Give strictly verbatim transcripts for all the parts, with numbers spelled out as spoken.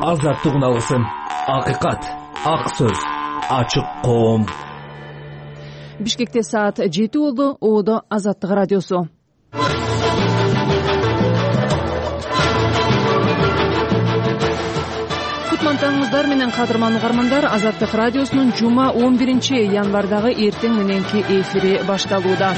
азаттык уналгысын, акыйкат, ак сөз, ачык коом. Бишкекте саат жети болду. Оодо Азаттык радиосу. Кутмантаңыздар менен кадырман угармандар, Азаттык радиосунун жума он биринчи январдагы эртең мененки эфири башталууда.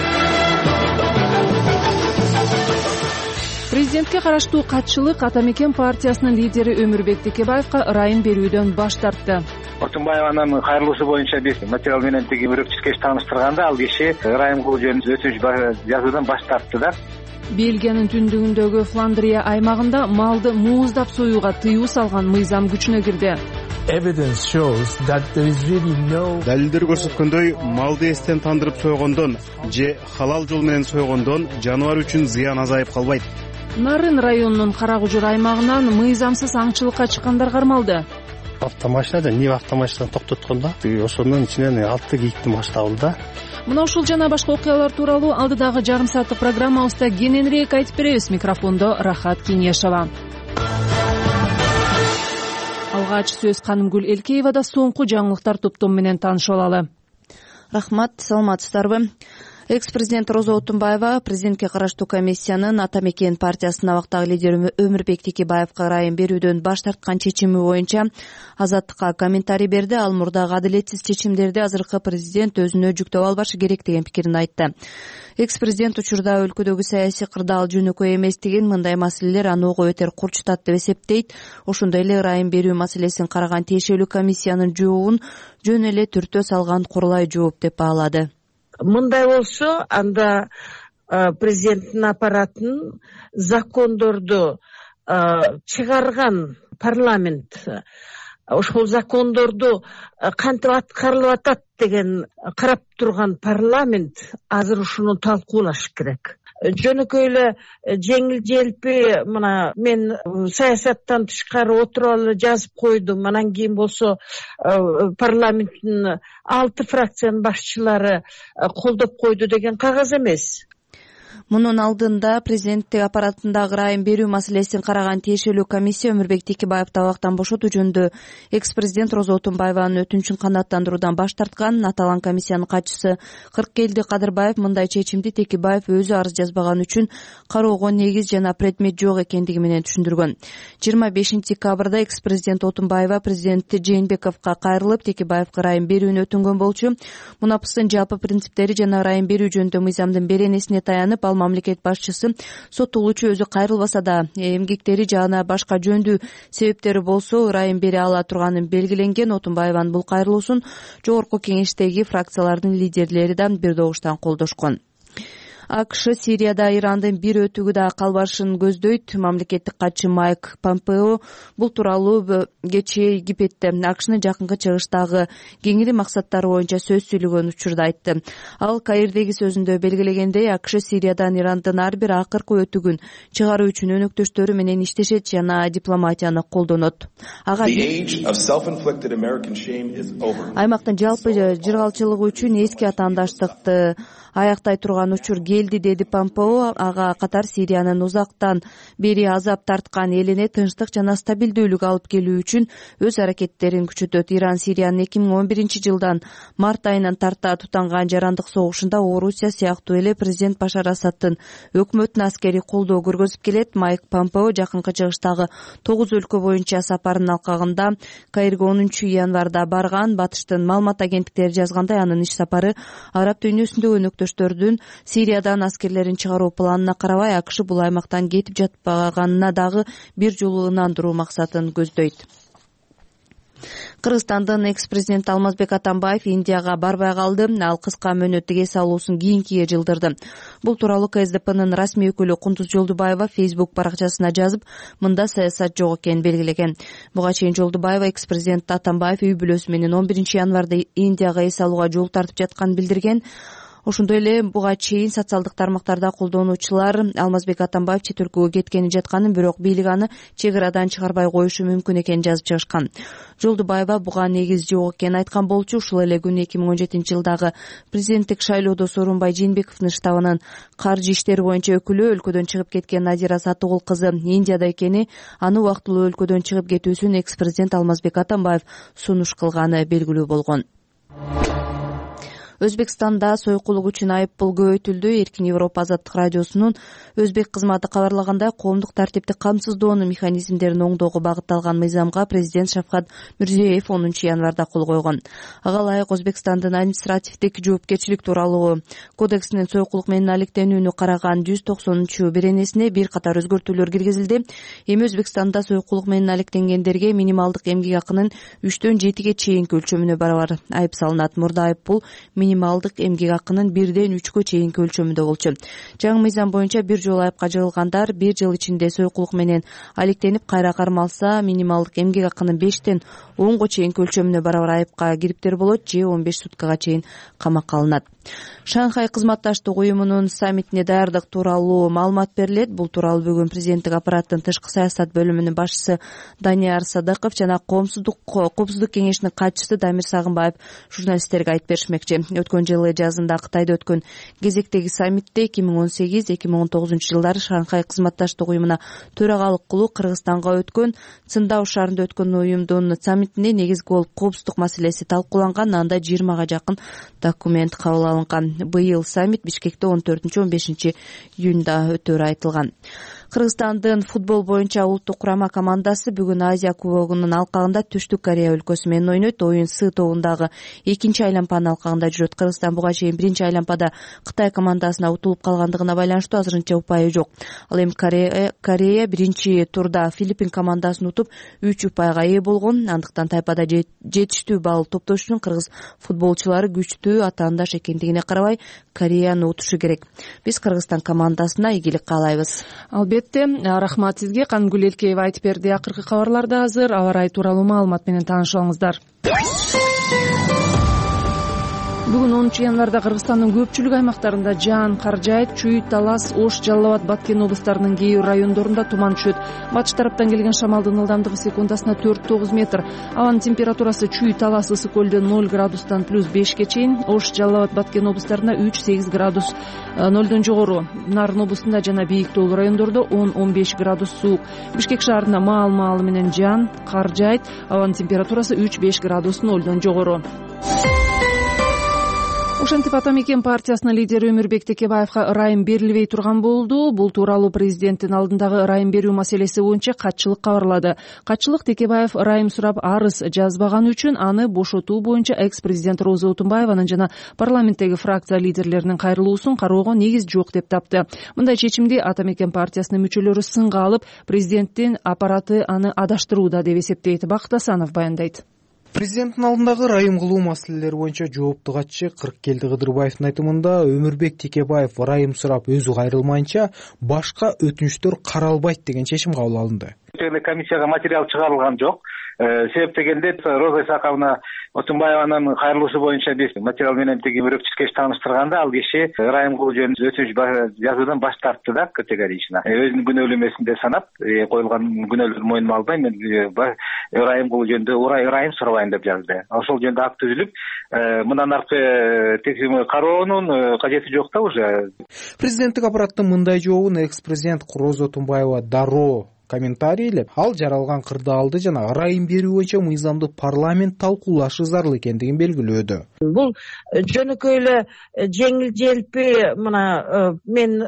Президентке караштуу катчылык Ата Мекен партиясынын лидери Өмүрбек Текебаевка ырайым берүүдөн баш тартты. Отунбаеванын кайрылуусу боюнча биз материал менен тиги өрөкчүскө тааныштырганда ал киши ырайым кылуу жөнүндө өтүнүч жазуудан баш тартты да. Бельгиянын түндүгүндөгү Фландрия аймагында малды мууздап союуга тыюу салган мыйзам күчүнө кирди. Далилдер көрсөткөндөй, малды эстен тандырып сойгондон же халал жол менен сойгондон жаныбар үчүн зыян азайып калбайт. Нарын районунун Карагужур аймагынан мыйзамсыз аңчылыкка чыккандар кармалды. Автомашина да Нива автомашинаны токтоткондо ошонун ичинен алты кийикти маш табылды. Мына ушул жана башка окуялар тууралуу алдыдагы жарым сааттык программабызда кененирээк айтып беребиз. Микрофондо Рахат Кеңешова. Алгач сөз Канымгүл Элкеевада. Соңку жаңылыктар топтом менен таанышып алалы. Рахмат, саламатсыздарбы? Экс-президент Роза Отунбаева президентке караштуу комиссиянын Ата Мекен партиясынын абактагы лидери Өмүрбек Текебаевка ырайым берүүдөн баш тарткан чечими боюнча Азаттыкка комментарий берди. Ал мурдагы адилетсиз чечимдерди азыркы президент өзүнө жүктөп албашы керек деген пикирин айтты. Экс-президент учурда өлкөдөгү саясий кырдаал жөнөкөй эмес деген, мындай маселелер аны ого бетер курчутат деп эсептейт. Ошондой эле ырайым берүү маселесин караган тиешелүү комиссиянын жообун жөн эле түртө салган курулай жооп деп баалады. Мындай болсо, анда президенттин аппаратын закондорду чыгарган парламент ошол закондорду кантип аткарылып атат деген карап турган парламент азыр ушуну талкуулаш керек. Жөнөкөй эле жеңил желпи мына мен саясаттан тышкары отуруп алып жазып койдум. Анан кийин болсо парламенттин алты фракциянын башчылары колдоп койду деген кагаз эмес. Мунун алдында президенттик аппаратындагы ырайым берүү маселесин караган тиешелүү комиссия Өмүрбек Текебаевди абактан бошотуу жөнүндө экс-президент Роза Отунбаеванын өтүнүчүн канааттандыруудан баш тарткан. Аталган комиссиянын катчысы Кыркелди Кадырбаев мындай чечимди Текебаев өзү арыз жазбаган үчүн кароого негиз жана предмет жок экендиги менен түшүндүргөн. жыйырма бешинчи декабрда экс-президент Отунбаева президент Жээнбековго кайрылып, Текебаевге ырайым берүүнү өтүнгөн болчу. Мунапыстын жалпы принциптери жана ырайым берүү жөнүндө мыйзамдын беренесине таянып, ал мамлекет башчысы соттолуучу өзү кайрылбаса да эмгектери жана башка жөндүү себептери болсо ырайым бере ала турганын белгиленген. Отунбаеванын бул кайрылуусун жогорку кеңештеги фракциялардын лидерлери да бир добуштан колдошкон. АКШ Сирияда Ирандын бир өтүгү да калбашын көздөйт. Мамлекеттик катчы Майк Помпео бул тууралуу кечээ Египетте АКШнын жакынкы чыгыштагы кеңири максаттары боюнча сөз сүйлөгөн учурда айтты. Ал Каирдеги сөзүндө белгилегендей, АКШ Сириядан Ирандын ар бир акыркы өтүгүн чыгаруу үчүн өнөктөштөрү менен иштешет жана дипломатияны колдонот. Ага аймактын жалпы жыргалчылыгы үчүн эски атаандаштыкты аяктай турган учур келди, деди Помпео. Ага катар Сириянын узактан бери азап тарткан элине тынчтык жана стабилдүүлүк алып келүү үчүн өз аракеттерин күчөтөт. Иран Сириянын эки миң он биринчи жылдан март айынан тарта тутанган жарандык согушунда Орусия сыяктуу эле президент Башар Асадтын өкмөтүнө аскерий колдоо көргөзүп келет. Майк Помпео жакынкы чыгыштагы тогуз өлкө боюнча сапарынын алкагында Каирге онунчу январда барган. Батыштын маалымат агенттиктери жазгандай, анын иш сапары араб дүйнөсүндөгү өнөктөштөрдүн Сириядан аскерлерин чыгаруу планына карабай АКШ бул аймактан кетип жатпаганына дагы бир жолу ынандыруу максатын көздөйт. Кыргызстандын экс-президенти Алмазбек Атамбаев Индияга барбай калды. Ал кыска мөөнөттүк эс алуусун кийинкиге жылдырды. Бул тууралуу КСДПнын расмий өкүлү Кундуз Жолдубаева Facebook баракчасына жазып, мында саясат жок экенин белгилеген. Буга чейин Жолдубаева экс-президент Атамбаев үй бүлөсү менен он биринчи январда Индияга эс алууга жол тартып жатканын билдирген. Ошондой эле буга чейин социалдык тармактарда колдонуучулар Алмазбек Атамбаев чет өлкөгө кеткени жатканын, бирок бийлик аны чек арадан чыгарбай коюшу мүмкүн экенин жазып чыгышкан. Жолдубаева буга негиз жок экенин айткан болчу. Ушул эле күнү эки миң он жетинчи жылдагы президенттик шайлоодо Сооронбай Жээнбековдун штабынын каржы иштери боюнча өкүлү, өлкөдөн чыгып кеткен Надира Сатыгул кызы Индияда экени, аны убактылуу өлкөдөн чыгып кетүүсүн экс-президент Алмазбек Атамбаев сунуш кылганы белгилүү болгон. Өзбекстанда сойкулук үчүн айып пул көбөйтүлдү. Эркин Европа азаттык радиосунун өзбек кызматы кабарлагандай, коомдук тартипти камсыздоонун механизмдерин оңдоого багытталган мыйзамга президент Шавкат Мирзиёев онунчу январда кол койгон. Ага ылайык Өзбекстандын административдик жоопкерчилик тууралуу кодексинин сойкулук менен алектенүүнү караган жүз токсонунчу беренесине бир катар өзгөртүүлөр киргизилди. Эми Өзбекстанда сойкулук менен алектенгендерге минималдык эмгек акынын үчтөн жетиге чейинки өлчөмүнө барабар айып салынат. Мурда айып пул минималдык эмгек акынын бирден үчкө чейинки өлчөмүндө болчу. Жаңы мыйзам боюнча бир жолу айыпка жыгылгандар бир жыл ичинде сойкулук менен алектенип кайра кармалса, минималдык эмгек акынын бештен онго чейинки өлчөмүнө барабар айыпка кириптер болот же он беш суткага чейин камакка алынат. Шанхай кызматташтык уюмунун саммитине даярдык тууралуу маалымат берилет. Бул тууралуу бүгүн президенттик аппараттын тышкы саясат бөлүмүнүн башчысы Данияр Садыков жана Коомсуздук коопсуздук кеңешинин катчысы Дамир Сагынбаев журналисттерге айтып беришмекчи. Өткөн жылы жазында Кытайда өткөн кезектеги саммитте эки миң он сегиз эки миң он тогузунчу жылдары Шанхай кызматташтык уюмуна төрагалык кылуу Кыргызстанга өткөн Циндао шаарында өткөн уюмдун саммитинде негизги болуп коопсуздук маселеси талкууланган. Анда жыйырмага жакын документ кабыл алынган. Быйыл саммит Бишкекте он төртүнчү он бешинчи июнда өтөрү айтылган. Кыргызстандын футбол боюнча улуттук курама командасы бүгүн Азия кубогунун алкагында Түштүк Корея өлкөсү менен ойнойт. Оюн С тобундагы экинчи айлампанын алкагында жүрөт. Кыргызстан буга чейин биринчи айлампада Кытай командасына утулуп калгандыгына байланыштуу азырынча упайы жок. Ал эми Корея биринчи турда Филиппин командасын утуп үч упайга ээ болгон. Андыктан тайпада жетиштүү балл топтош үчүн кыргыз футболчулары күчтүү атаандаш экендигине карабай Кореяны утушу керек. Биз Кыргызстан командасына ийгилик каалайбыз. Албетте, рахмат сизге. Кангүл Элкеева айтып берди. Акыркы кабарларда азыр аба ырайы тууралуу маалымат менен таанышыңыздар. Бүгүн онунчу январда Кыргызстандын көпчүлүк аймактарында жаан кар жаайт. Чүй, Талас, Ош, Жалал Абад, Баткен облустарынын кээ бир райондорунда туман түшөт. Батыш тараптан келген шамалдын ылдамдыгы секундасына төрт тогуз метр. Абанын температурасы Чүй, Талас, Ысык көлдө ноль градустан плюс бешке чейин. Ош, Жалал Абад, Баткен облустарында үч сегиз градус нолдон жогору. Нарын облусунда жана бийик тоолуу райондордо он он беш градус суук. Бишкек шаарында маал-маалы менен жаан кар жаайт. Абанын температурасы үч беш градус нолдон жогору. Ошентип Ата Мекен партиясынын лидери Өмүрбек Текебаевга ырайым берилбей турган болду. Бул тууралуу президенттин алдындагы ырайым берүү маселеси боюнча катчылык кабарлады. Катчылык Текебаев ырайым сурап арыз жазбаганы үчүн аны бошотуу боюнча экс-президент Роза Отунбаеванын жана парламенттеги фракция лидерлеринин кайрылуусун кароого негиз жок деп тапты. Мындай чечимди Ата Мекен партиясынын мүчөлөрү сынга алып, президенттин аппараты аны адаштырууда деп эсептейт. Бакыт Асанов баяндайт. Президенттин алдындагы ырайым кылуу маселелери боюнча жоопту катчы Кырыккелди Кыдырбаевдин айтымында Өмүрбек Текебаев ырайым сурап өзү кайрылмайынча башка өтүнүчтөр каралбайт деген чечим кабыл алынды. Комиссияга материал чыгарылган жок. Себеп дегенде Роза Исаковна Отунбаеванын кайрылуусу боюнча биз материал менен тиги өрөкчүскө тааныштырганда ал киши ырайым кылуу жөнүндө өтүнүч жазуудан баш тартты да категорично. Өзүнүн күнөөлүү эмесин деп санап, коюлган күнөөлөрдү мойнума албай мен ырайым кылуу жөнүндө ырайым сурабайм деп жазды. Ошол жөнүндө акт түзүлүп, мындан аркы текшерүү кароонун кажети жок да уже. Президенттик аппараттын мындай жообун экс-президент Роза Отунбаева дароо комментарийлеп, ал жаралган кырды алды жана ырайым берүү боюнча мыйзамды парламент талкуулашы зарыл экендигин белгилөөдү. Бул жөнөкөй эле жеңил желпи мына мен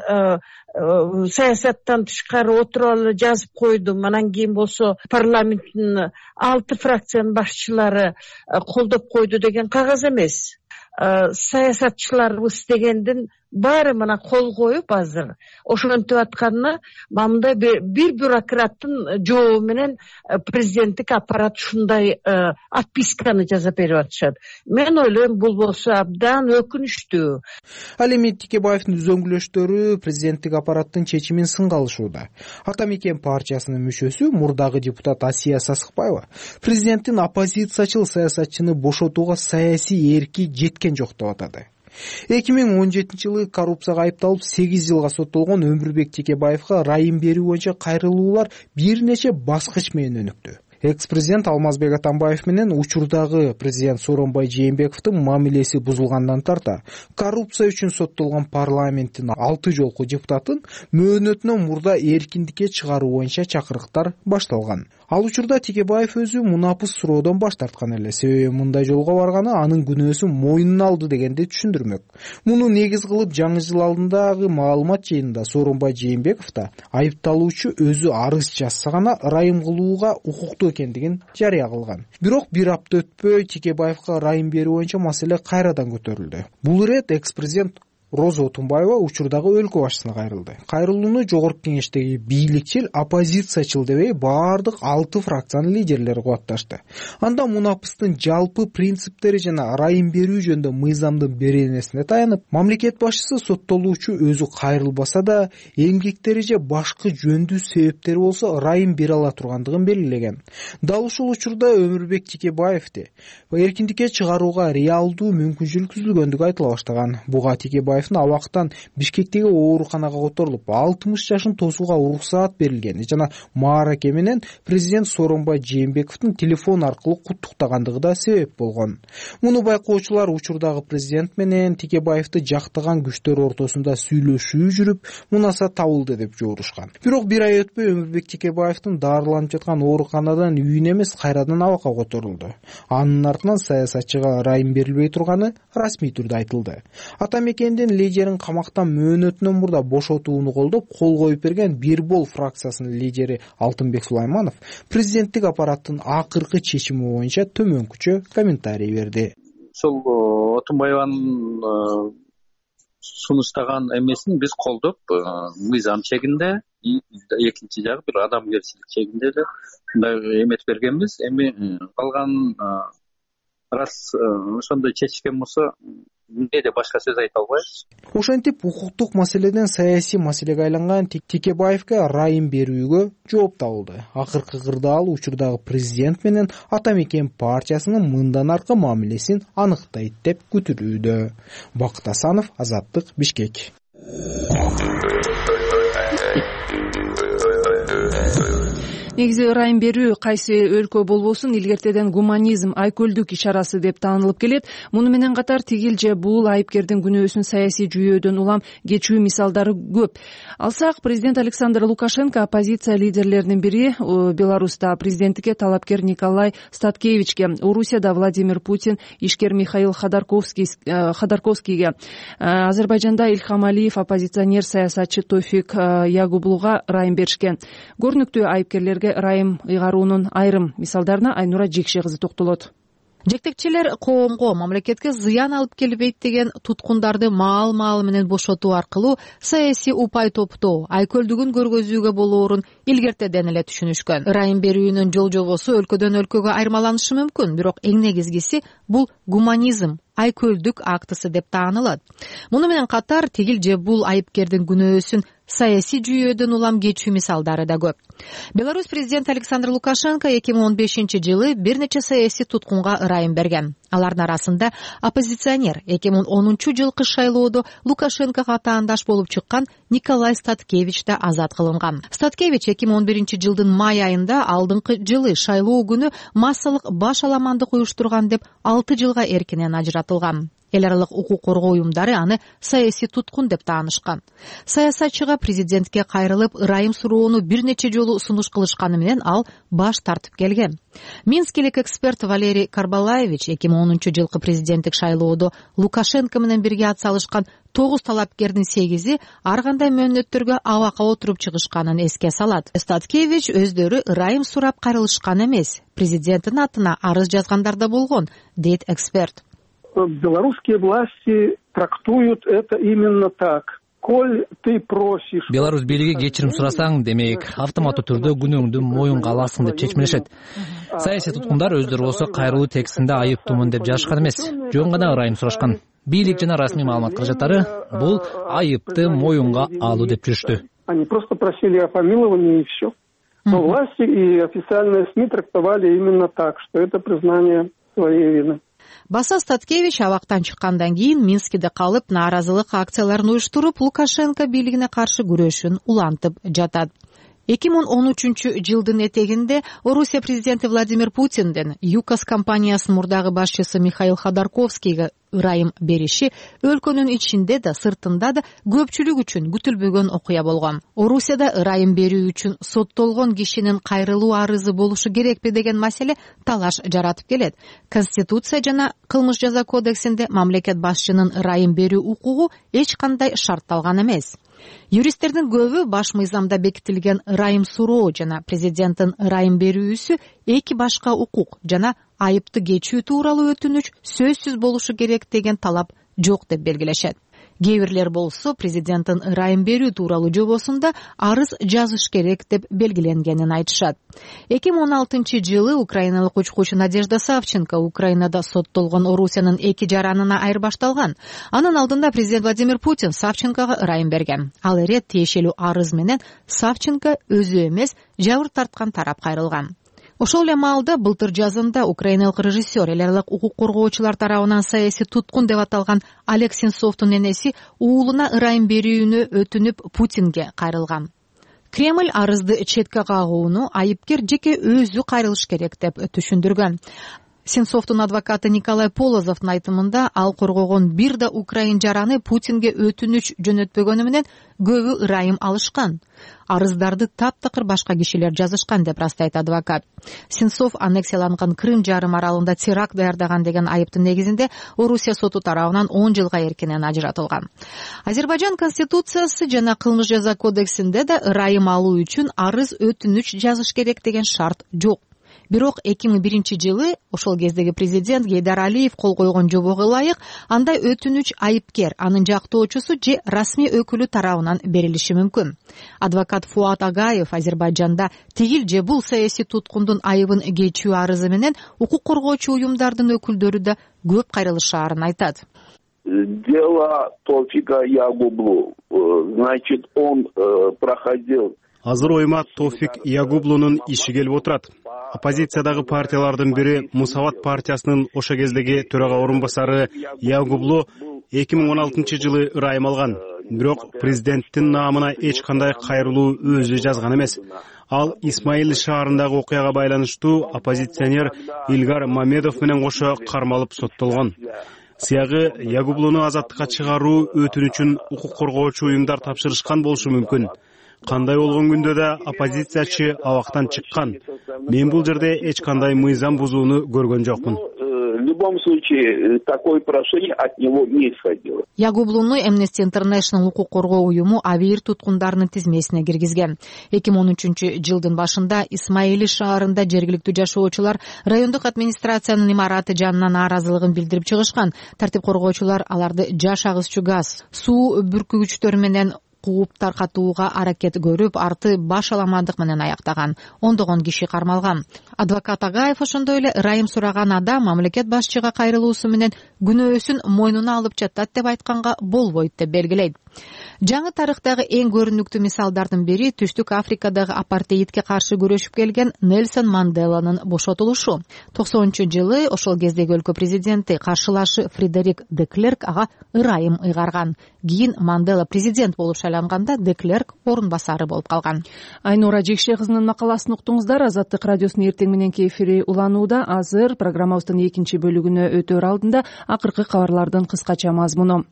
саясаттан тышкары отуруп алып жазып койдум. Анан кийин болсо парламенттин алты фракциянын башчылары колдоп койду деген кагаз эмес. Саясатчыларыбыз дегендин баары мына кол коюп азыр ошентип атканына мындай бир бюрократтын жообу менен президенттик аппарат ушундай отписканы жазып берип атышат. Мен ойлойм бул болсо абдан өкүнүчтүү. Ал эми Текебаевдин үзөңгүлөштөрү президенттик аппараттын чечимин сынга алышууда. Ата Мекен партиясынын мүчөсү мурдагы депутат Асия Сасыкбаева президенттин оппозициячыл саясатчыны бошотууга саясий эрки жеткен жок деп атады. эки миң он жетинчи жылы коррупцияга айыпталып сегиз жылга соттолгон Өмүрбек Текебаевга ырайым берүү боюнча кайрылуулар бир нече баскыч менен өнүктү. Экс-президент Алмазбек Атамбаев менен учурдагы президент Сооронбай Жээнбековдун мамилеси бузулгандан тарта коррупция үчүн соттолгон парламенттин алты жолку депутатын мөөнөтүнөн мурда эркиндикке чыгаруу боюнча чакырыктар башталган. Ал учурда Текебаев өзү мунапыс суроодон баш тарткан эле, себеби мындай жолго барганы анын күнөөсүн мойнуна алды дегенди түшүндүрмөк. Муну негиз кылып жаңы жыл алдындагы маалымат жыйынында Сооронбай Жээнбеков да айыпталуучу өзү арыз жазса гана ырайым кылууга укуктуу экендигин жарыя кылган. Бирок бир апта өтпөй Текебаевга ырайым берүү боюнча маселе кайрадан көтөрүлдү. Бул ирет экс-президент Роза Отунбаева учурдагы өлкө башчысына кайрылды. Кайрылууну жогорку кеңештеги бийликчил, оппозициячыл дебей баардык алты фракциянын лидерлери кубатташты. Анда мунапыстын жалпы принциптери жана ырайым берүү жөнүндө мыйзамдын беренесине таянып, мамлекет башчысы соттолуучу өзү кайрылбаса да эмгектери же башкы жөндүү себептери болсо ырайым бере ала тургандыгын белгилеген. Дал ушул учурда Өмүрбек Текебаевди эркиндикке чыгарууга реалдуу мүмкүнчүлүк түзүлгөндүгү айтыла баштаган. Буга Текебаев абактан Бишкектеги ооруканага которулуп алтымыш жашын тосууга уруксаат берилгени жана маараке менен президент Сооронбай Жээнбековдун телефон аркылуу куттуктагандыгы да себеп болгон. Муну байкоочулар учурдагы президент менен Текебаевди жактаган күчтөр ортосунда сүйлөшүү жүрүп, мунасат табылды деп жоорушкан. Бирок бир ай өтпөй Өмүрбек Текебаевдин дарыланып жаткан ооруканадан үйүнө эмес кайрадан абакка которулду. Анын артынан саясатчыга ырайым берилбей турганы расмий түрдө айтылды. Атамекендин лидерин камактан мөөнөтүнөн мурда бошотууну колдоп кол коюп берген Бир бол фракциясынын лидери Алтынбек Сулайманов президенттик аппараттын акыркы чечими боюнча төмөнкүчө комментарий берди. Ошол Отунбаеванын сунуштаган эмесин биз колдоп, мыйзам чегинде, экинчи жагы бир адамгерчилик чегинде эле мындай эметип бергенбиз. Эми калган раз ошондой чечишкен болсо эмнеде башка сөз айта албайбыз. Ошентип укуктук маселеден саясий маселеге айланган Текебаевге ырайым берүүгө жооп табылды. Акыркы кырдаал учурдагы президент менен Атамекен партиясынын мындан аркы мамилесин аныктайт деп күтүлүүдө. Бакыт Асанов, Азаттык, Бишкек. Негизи ырайым берүү кайсы өлкө болбосун илгертеден гуманизм, айкөлдүк ишарасы деп таанылып келет. Муну менен катар тигил же бул айыпкердин күнөөсүн саясий жүйөөдөн улам кечүү мисалдары көп. Алсак, президент Александр Лукашенко оппозиция лидерлеринин бири, Беларуста президенттикке талапкер Николай Статкевичке, Орусияда Владимир Путин ишкер Михаил Ходорковский, Ходорковскийге, Азербайжанда Ильхам Алиев оппозиционер саясатчы Тофик Ягублуга ырайым беришкен. Көрүнүктүү айыпкерлерге ырайым ыйгаруунун айрым мисалдарына Айнура Жекше кызы токтолот. Жетекчилер коомго, мамлекетке зыян алып келбейт деген туткундарды маал-маал менен бошотуу аркылуу саясий упай топтоо, айкөлдүгүн көргөзүүгө болоорун илгертеден эле түшүнүшкөн. Ырайым берүүнүн жол жобосу өлкөдөн өлкөгө айырмаланышы мүмкүн, бирок эң негизгиси бул гуманизм, айкөлдүк актысы деп таанылат. Муну менен катар тигил же бул айыпкердин күнөөсүн саясий жүйөөдөн улам кечүү мисалдары да көп. Беларусь президенти Александр Лукашенко эки миң он бешинчи жылы бир нече саясий туткунга ырайым берген. Алардын арасында оппозиционер эки миң онунчу жылкы шайлоодо Лукашенкого таандаш болуп чыккан Николай Статкевич да азат кылынган. Статкевич эки миң он биринчи жылдын май айында алдыңкы жылы шайлоо күнү массалык баш аламандык уюштурган деп алты жылга эркинен ажыратылган. Эл аралык укук коргоо уюмдары аны саясий туткун деп таанышкан. Саясатчыга президентке кайрылып ырайым суроону бир нече жолу сунуш кылышканы менен ал баш тартып келген. Минскилик эксперт Валерий Карбалаевич эки миң онунчу жылкы президенттик шайлоодо Лукашенко менен бирге ат салышкан тогуз талапкердин сегизи ар кандай мөөнөттөргө абакка отуруп чыгышканын эске салат. Статкевич өздөрү ырайым сурап кайрылышкан эмес, президенттин атына арыз жазгандар да болгон, дейт эксперт. Белорусские власти трактуют это именно так. Коль ты просишь... Беларусь бийлиги кечирим сурасаң, демек, автоматтуу түрдө күнөөңдү моюнга аласың деп чечмелешет. Саясий туткундар өздөрү болсо кайрылуу текстинде айыптуумун деп жазышкан эмес, жөн гана ырайым сурашкан. Бийлик жана расмий маалымат каражаттары бул айыпты моюнга алуу деп жүрүштү. Они просто просили о помиловании и все. Но власти и официальные СМИ трактовали именно так, что это признание своей вины. Баса Статкевич абактан чыккандан кийин Минскиде калып, нааразылык акцияларын уюштуруп, Лукашенко бийлигине каршы күрөшүн улантып жатат. эки миң он үчүнчү жылдын этегинде Орусия президенти Владимир Путиндин ЮКОС компаниясынын мурдагы башчысы Михаил Ходорковскийге ырайым бериши өлкөнүн ичинде да, сыртында да көпчүлүк үчүн күтүлбөгөн окуя болгон. Орусияда ырайым берүү үчүн соттолгон кишинин кайрылуу арызы болушу керекпи деген маселе талаш жаратып келет. Конституция жана кылмыш жаза кодексинде мамлекет башчынын ырайым берүү укугу эч кандай шартталган эмес. Юристтердин көбү баш мыйзамда бекитилген ырайым суроо жана президенттин ырайым берүүсү эки башка укук жана айыпты кечүү тууралуу өтүнүч сөзсүз болушу керек деген талап жок деп белгилешет. Кээ бирлер болсо президенттин ырайым берүү тууралуу жобосунда арыз жазыш керек деп белгиленгенин айтышат. эки миң он алтынчы жылы украиналык учкучу Надежда Савченко Украинада соттолгон Орусиянын эки жаранына айырбашталган. Анын алдында президент Владимир Путин Савченкого ырайым берген. Ал эре тиешелүү арыз менен Савченко өзү эмес, жабыр тарткан тарап кайрылган. Ошол эле маалда былтыр жазында украиналык режиссер, эл аралык укук коргоочулар тарабынан саясий туткун деп аталган Олег Сенцовдун энеси уулуна ырайым берүүнү өтүнүп Путинге кайрылган. Кремль арызды четке кагууну айыпкер жеке өзү кайрылыш керек деп түшүндүргөн. Сенцовдун адвокаты Николай Полозовдун айтымында ал коргогон бир да украин жараны Путинге өтүнүч жөнөтпөгөнү менен көбү ырайым алышкан. Арыздарды таптакыр башка кишилер жазышкан деп растайт адвокат. Сенцов аннексияланган Крым жарым аралында теракт даярдаган деген айыптын негизинде Орусия соту тарабынан он жылга эркинен ажыратылган. Азербайжан конституциясы жана кылмыш жаза кодексинде да ырайым алуу үчүн арыз өтүнүч жазыш керек деген шарт жок. Бирок эки миң биринчи жылы ошол кездеги президент Гейдар Алиев кол койгон жобого ылайык андай өтүнүч айыпкер, анын жактоочусу же расмий өкүлү тарабынан берилиши мүмкүн. Адвокат Фуат Агаев Азербайжанда тигил же бул саясий туткундун айыбын кечүү арызы менен укук коргоочу уюмдардын өкүлдөрү да көп кайрылышаарын айтат. Дело Тофика Ягублу, значит, он проходил. Азыр ойма Тофик Ягублунун иши келип отурат. Оппозициядагы партиялардын бири Мусават партиясынын ошо кездеги төрага орун басары Ягублу эки миң он алтынчы жылы ырайым алган. Бирок президенттин наамына эч кандай кайрылуу өзү жазган эмес. Ал Исмаил шаарындагы окуяга байланыштуу оппозиционер Илгар Мамедов менен кошо кармалып соттолгон. Сыягы Ягублуну азаттыкка чыгаруу өтүнүчүн укук коргоочу уюмдар тапшырышкан болушу мүмкүн. Кандай болгон күндө да оппозициячы абактан чыккан. Мен бул жерде эч кандай мыйзам бузууну көргөн жокмун. В любом случае, такое прошение от него не исходило. Ягублуну Amnesty International укук коргоо уюму абийир туткундарынын тизмесине киргизген. эки миң он үчүнчү жылдын башында Исмаили шаарында жергиликтүү жашоочулар райондук администрациянын имараты жанынан нааразылыгын билдирип чыгышкан. Тартип коргоочулар аларды жаш агызчу газ, суу бүркүгүчтөр менен кууп таркатууга аракет көрүп, арты баш аламандык менен аяктаган. Ондогон киши кармалган. Адвокат Агаев ошондой эле ырайым сураган адам мамлекет башчыга кайрылуусу менен күнөөсүн мойнуна алып жатат деп айтканга болбойт деп белгилейт. Жаңы тарыхтагы эң көрүнүктүү мисалдардын бири Түштүк Африкадагы апартеидке каршы күрөшүп келген Нельсон Манделанын бошотулушу. токсонунчу жылы ошол кездеги өлкө президенти каршылашы Фредерик де Клерк ага ырайым ыйгарган. Кийин Мандела президент болуп шайланганда де Клерк орун басары болуп калган. Айнура Жекше кызынын макаласын уктуңуздар. Азаттык радиосунун эртең мененки эфири уланууда. Азыр программабыздын экинчи бөлүгүнө өтөр алдында акыркы кабарлардын кыскача мазмуну.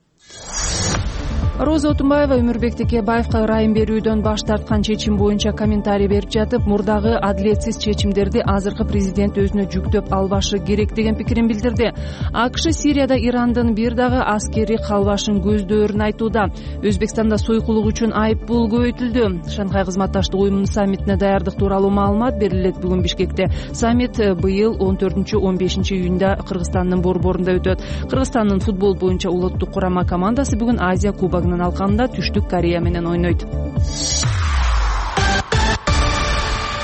Роза Отунбаева Өмүрбек Текебаевга ырайым берүүдөн баш тарткан чечим боюнча комментарий берип жатып, мурдагы адилетсиз чечимдерди азыркы президент өзүнө жүктөп албашы керек деген пикирин билдирди. АКШ Сирияда Ирандын бир дагы аскери калбашын көздөөрүн айтууда. Өзбекстанда сойкулук үчүн айып пул көбөйтүлдү. Шанхай кызматташтык уюмунун саммитине даярдык тууралуу маалымат берилет бүгүн Бишкекте. Саммит быйыл он төртүнчү он бешинчи июнда Кыргызстандын борборунда өтөт. Кыргызстандын футбол боюнча улуттук курама командасы бүгүн Азия кубогунун алкагында Түштүк Корея менен ойнойт.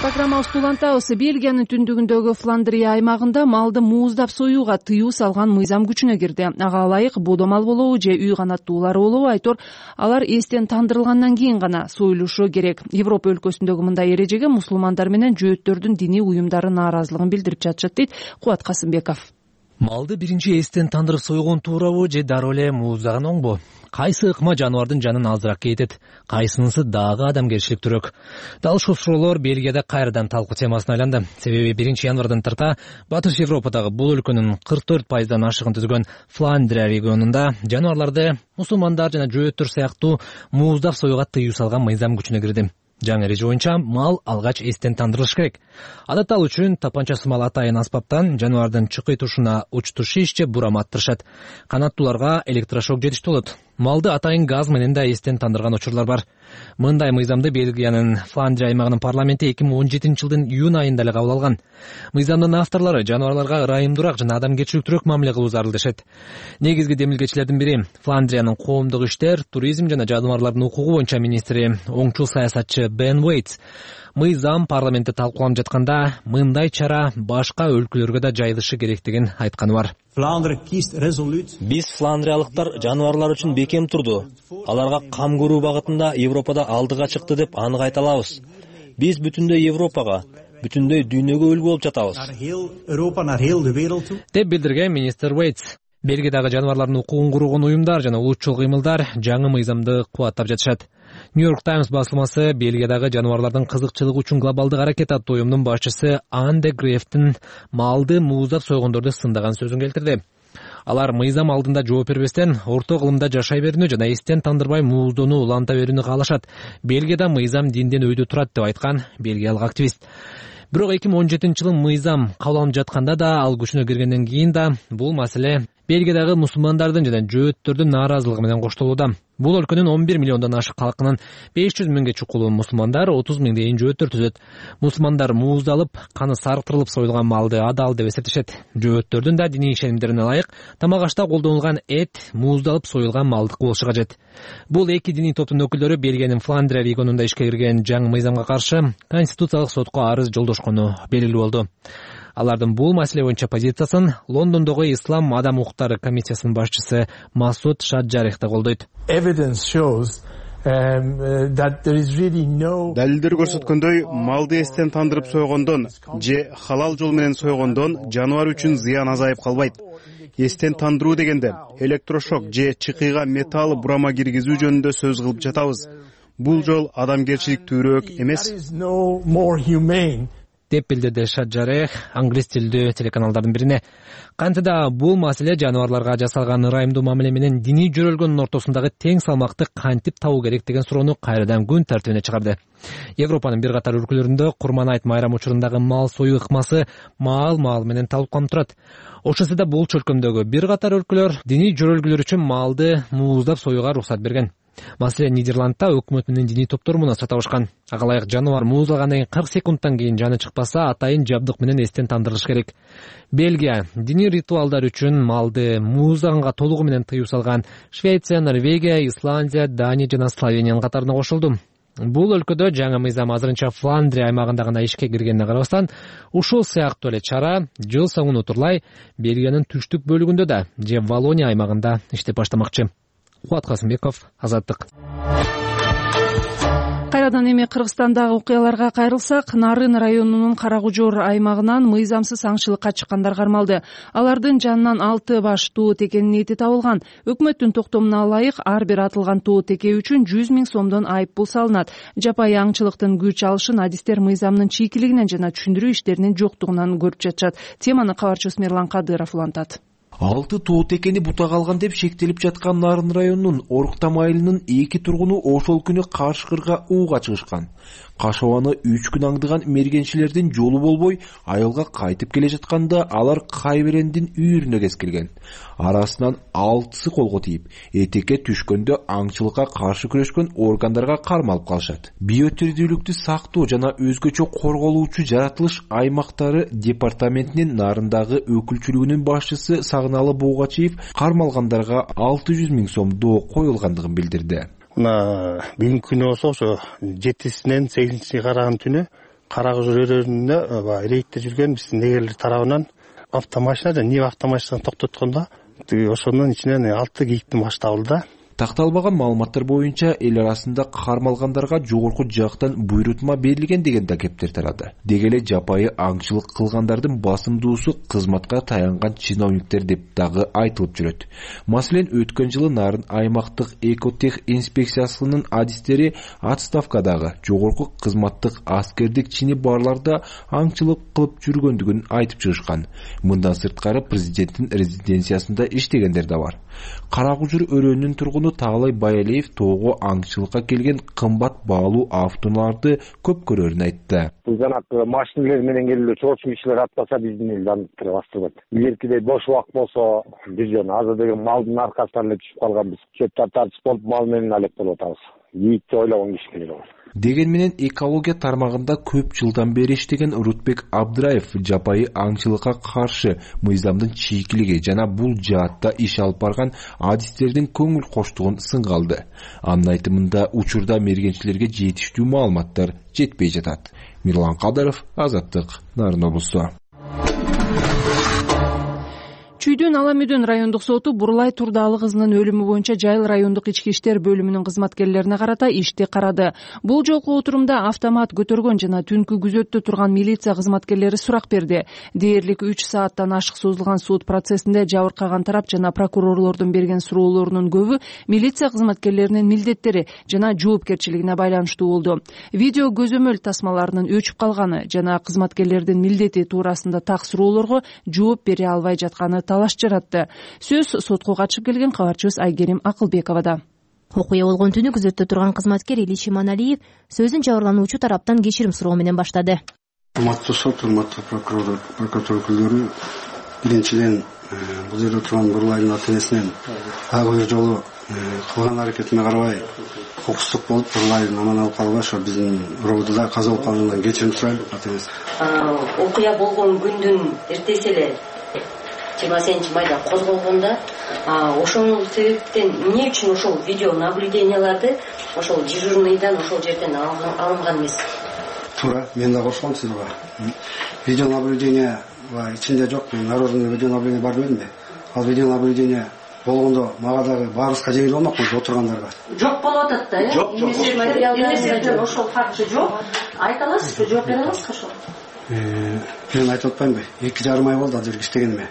Программабызды улантабыз. Бельгиянын түндүгүндөгү Фландрия аймагында малды мууздап союуга тыюу салган мыйзам күчүнө кирди. Ага ылайык бодо мал болобу же үй канаттуулары болобу айтор, алар эстен тандырылгандан кийин гана союлушу керек. Европа өлкөсүндөгү мындай эрежеге мусулмандар менен жөөттөрдүн диний уюмдары нааразылыгын билдирип жатышат дейт Кубат Касымбеков. Малды биринчи эстен тандырып сойгон туурабы же дароо эле мууздаган оңбу? Кайсы ыкма жаныбардын жанын азыраак кетет, кайсынысы дагы адамгерчиликтүүрөөк? Дал ушул суроолор Бельгияда кайрадан талкуу темасына айланды. Себеби биринчи январдан тарта Батыш Европадагы бул өлкөнүн кырк төрт пайыздан ашыгын түзгөн Фландрия регионунда жаныбарларды мусулмандар жана жөөттөр сыяктуу мууздап союуга тыюу салган мыйзам күчүнө кирди. Жаңы эреже боюнча мал алгач эстен тандырылыш керек. Адатта ал үчүн тапанча сымал атайын аспаптан жаныбардын чыкый тушуна учтуу шиш же бурама аттырышат. Канаттууларга электрошок жетиштүү болот. Малды атайын газ менен да эстен тандырган учурлар бар. Мындай мыйзамды Бельгиянын Фландрия аймагынын парламенти эки миң он жетинчи жылдын июнь айында эле кабыл алган. Мыйзамдын авторлору жаныбарларга ырайымдуураак жана адамгерчиликтүүрөөк мамиле кылуу зарыл дешет. Негизги демилгечилердин бири Фландриянын коомдук иштер, туризм жана жаныбарлардын укугу боюнча министри, оңчул саясатчы Бен Уэйтс. Мыйзам парламентте талкууланып жатканда мындай чара башка өлкөлөргө да жайылышы керектигин айтканы бар. Биз фландриялыктар жаныбарлар үчүн бекем турду. Аларга кам көрүү багытында Европада алдыга чыкты деп анык айта алабыз. Биз бүтүндөй Европага, бүтүндөй дүйнөгө үлгү болуп жатабыз, деп билдирген министр Уэйтс. Бельгиядагы жаныбарлардын укугун кургон уюмдар жана улутчул кыймылдар жаңы мыйзамды кубаттап жатышат. Нью-Йорк Таймс басылмасы Бельгиядагы жаныбарлардын кызыкчылыгы үчүн глобалдык аракет аттуу уюмдун башчысы Ан де Грефтин малды мууздап сойгондорду сындаган сөзүн келтирди. Алар мыйзам алдында жооп бербестен орто кылымда жашай берүүнү жана эстен тандырбай мууздоону уланта берүүнү каалашат. Бельгияда мыйзам динден өйдө турат деп айткан бельгиялык активист. Бирок эки миң он жетинчи жылы мыйзам кабыл алынып жатканда да, ал күчүнө киргенден кийин да бул маселе Бельгиядагы мусулмандардын жана жөөттөрдүн нааразылыгы менен коштолууда. Бул өлкөнүн он бир миллиондон ашык калкынын беш жүз миңге чукулуу мусулмандар, отуз миңдейин жөөттөр түзөт. Мусулмандар мууздалып, каны сарктырылып союлган малды адал деп эсептешет. Жөөттөрдүн да диний ишенимдерине ылайык тамак ашта колдонулган эт мууздалып союлган малдык болушу кажет. Бул эки диний топтун өкүлдөрү Бельгиянын Фландрия регионунда ишке кирген жаңы мыйзамга каршы Конституциялык сотко арыз жолдошкону белгилүү болду. Алардын бул маселе боюнча позициясын Лондондогу Ислам адам укуктары комиссиясынын башчысы Масуд Шаджарих да колдойт. Далилдер көрсөткөндөй, малды эстен тандырып сойгондон же халал жол менен сойгондон жаныбар үчүн зыян азайып калбайт. Эстен тандыруу дегенде электрошок же чыкыйга металл бурама киргизүү жөнүндө сөз кылып жатабыз. Бул жол адамгерчиликтүүрөөк эмес, деп билдирди Шаджарех англис тилдүү телеканалдардын бирине. Кантида бул маселе жаныбарларга жасалган ырайымдуу мамиле менен диний жөрөлгөндүн ортосундагы тең салмакты кантип табуу керек деген суроону кайрадан күн тартибине чыгарды. Европанын бир катар өлкөлөрүндө Курман айт майрам учурундагы мал союу ыкмасы маал-маал менен талкууланып турат. Ошондо да бул чөлкөмдөгү бир катар өлкөлөр диний жөрөлгүлөр үчүн малды мууздап союуга уруксат берген. Маселен, Нидерландта өкмөт менен диний топтор муну сатабышкан. Ага ылайык жаныбар мууздалгандан кийин кырк секундтан кийин жаны чыкпаса, атайын жабдык менен эстен тандырылыш керек. Бельгия диний ритуалдар үчүн малды мууздаганга толугу менен тыюу салган Швеция, Норвегия, Исландия, Дания жана Словениянын катарына кошулду. Бул өлкөдө жаңы мыйзам азырынча Фландрия аймагында гана ишке киргенине карабастан, ушул сыяктуу эле чара жыл соңуна утурлай Бельгиянын түштүк бөлүгүндө да же Валония аймагында иштеп баштамакчы. Кубат Касымбеков, Азаттык. Кайрадан эми Кыргызстандагы окуяларга кайрылсак, Нарын районунун Карагужор аймагынан мыйзамсыз аңчылыкка чыккандар кармалды. Алардын жанынан алты баш туу текенин эти табылган. Өкмөттүн токтомуна ылайык ар бир атылган туу теке үчүн жүз миң сомдон айып пул салынат. Жапайы аңчылыктын күч алышын адистер мыйзамдын чийкилигинен жана түшүндүрүү иштеринин жоктугунан көрүп жатышат. Теманы кабарчыбыз Мерлан Кадыров улантат. Алты тоо текени бутак алган деп шектелип жаткан Нарын районунун Оруктам айылынын эки тургуну ошол күнү Карышкырга ууга чыгышкан. Кашабаны үч күн аңдыган мергенчилердин жолу болбой, айылга кайтып келе жатканда алар Кайберендин үйүрүнө кескилген. Арасынан алтысы колго тийип, этекке түшкөндө аңчылыкка каршы күрөшкөн органдарга кармалып калышат. Биотирдүүлүктү сактоо жана өзгөчө корголуучу жаратылыш аймактары департаментинин Нарындагы өкүлчүлүгүнүн башчысы Сагыналы Буугачиев кармалгандарга алты жүз миң сом доо коюлгандыгын билдирди. Мына бүгүнкү күнү болсо ошо жетисинен сегизинчи караган түнү Карагужор өрөөнүндө рейдте жүргөн биздин негелер тарабынан автомашина жана Нива автомашинасын токтоткондо ошонун ичинен алты кийиктин башы табылды да. Такталбаган маалыматтар боюнча эл арасында кармалгандарга жогорку жактан буйрутма берилген деген да кептер тарады. Деги эле жапайы аңчылык кылгандардын басымдуусу кызматка таянган чиновниктер деп дагы айтылып жүрөт. Маселен, өткөн жылы Нарын аймактык экотех инспекциясынын адистери отставкадагы жогорку кызматтык аскердик чини барларда аңчылык кылып жүргөндүгүн айтып чыгышкан. Мындан сырткары президенттин резиденциясында иштегендер да бар. Каракужур өрөөнүнүн тургуну Таалай Баялиев тоого аңчылыкка келген кымбат баалуу автоунааларды көп көрөрүн айтты. Жанагы машиналар менен келүү чоочу кишилер атпаса биздин эл дамыптыра баштабайт. Илгеркидей бош убак болсо биз жана азыр деген малдын аркасынан эле түшүп калганбыз. Чөптөр тартып болуп мал менен алек болуп атабыз. Ийитти ойлогон кишилер бар. Деген менен экология тармагында көп жылдан бери иштеген Рутбек Абдыраев жапайы аңчылыкка каршы мыйзамдын чийкилиги жана бул жаатта иш алып барган адистердин көңүл коштугун сынга алды. Анын айтымында учурда мергенчилерге жетиштүү маалыматтар жетпей жатат. Мирлан Кадыров, Азаттык, Нарын облусу. Чүйдүн Аламүйдүн райондук соту Бурлай Турдалы кызынын өлүмү боюнча Жайыл райондук ички иштер бөлүмүнүн кызматкерлерине карата ишти карады. Бул жолку отурумда автомат көтөргөн жана түнкү күзөттө турган милиция кызматкерлери сурак берди. Дээрлик үч сааттан ашык созулган суд процессинде жабыркаган тарап жана прокурорлордун берген суроолорунун көбү милиция кызматкерлеринин милдеттери жана жоопкерчилигине байланыштуу болду. Видео көзөмөл тасмаларынын өчүп калганы жана кызматкерлердин милдети туурасында так суроолорго жооп бере албай жатканы талаш жаратты. Сөз сотко катышып келген кабарчыбыз Айгерим Акылбековада. Окуя болгон түнү күзөттө турган кызматкер Илиш Иманалиев сөзүн жабырлануучу тараптан кечирим суроо менен баштады. Урматтуу сот, урматтуу прокурор, прокуратура өкүлдөрү, биринчиден бул жерде турган Бурлайдын ата-энесинен ага бир жолу кылган аракетине карабай кокустук болуп Бурлайдын аман алып калбай ошо биздин роодуда каза болуп калгандан кечирим сурайм ата-энеси. Окуя болгон күндүн эртеси эле жыйырма сегизинчи майда козголгондо ошол себептен эмне үчүн ошол видео наблюденияларды ошол дежурныйдан ошол жерден алынган эмес? Туура, мен да кошком сизге. Видео наблюдение ичинде жок, наружный видео наблюдение бар демедимби? Ал видео наблюдение болгондо мага дагы баарыбызга жеңил болмокпу отургандарга. Жок болуп атат да, э? Жок, жок. Материалдарда ошол факты жок. Айта аласызбы, жооп бере аласызбы ошол? Мен айтып атпаймынбы? эки жарым ай болду ал жерге иштегениме.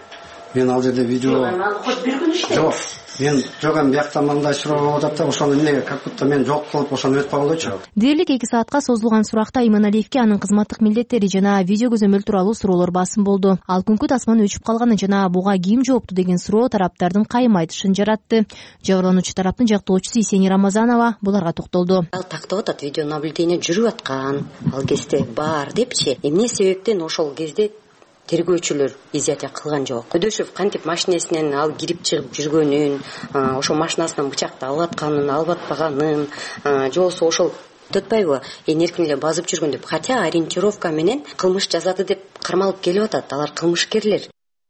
Мен ал жерде видео хоть бир күн иштейм. Жок. Мен жок эми биякта мындай суроо болуп атат да, ошону эмнеге как будто мен жок кылып ошону өтүп калгандойчу. Дээрлик эки саатка созулган суракта Иманалиевке анын кызматтык милдеттери жана видео көзөмөл тууралуу суроолор басым болду. Ал күнкү тасманын өчүп калганы жана буга ким жоопту деген суроо тараптардын кайым айтышын жаратты. Жабырлануучу тараптын жактоочусу Исени Рамазанова буларга токтолду. Ал тактап атат, видео наблюдение жүрүп аткан, ал кезде бар депчи. Эмне себептен ошол кезде тергөөчүлөр изятия кылган жок? Көдөшев кантип машинесинен ал кирип чыгып жүргөнүн, ошо машинасынан бычакты алып атканын, алып атпаганын, же болбосо ошол өтпөйбү эң эркин эле базып жүргөн деп, хотя ориентировка менен кылмыш жасады деп кармалып келип атат. Алар кылмышкерлер.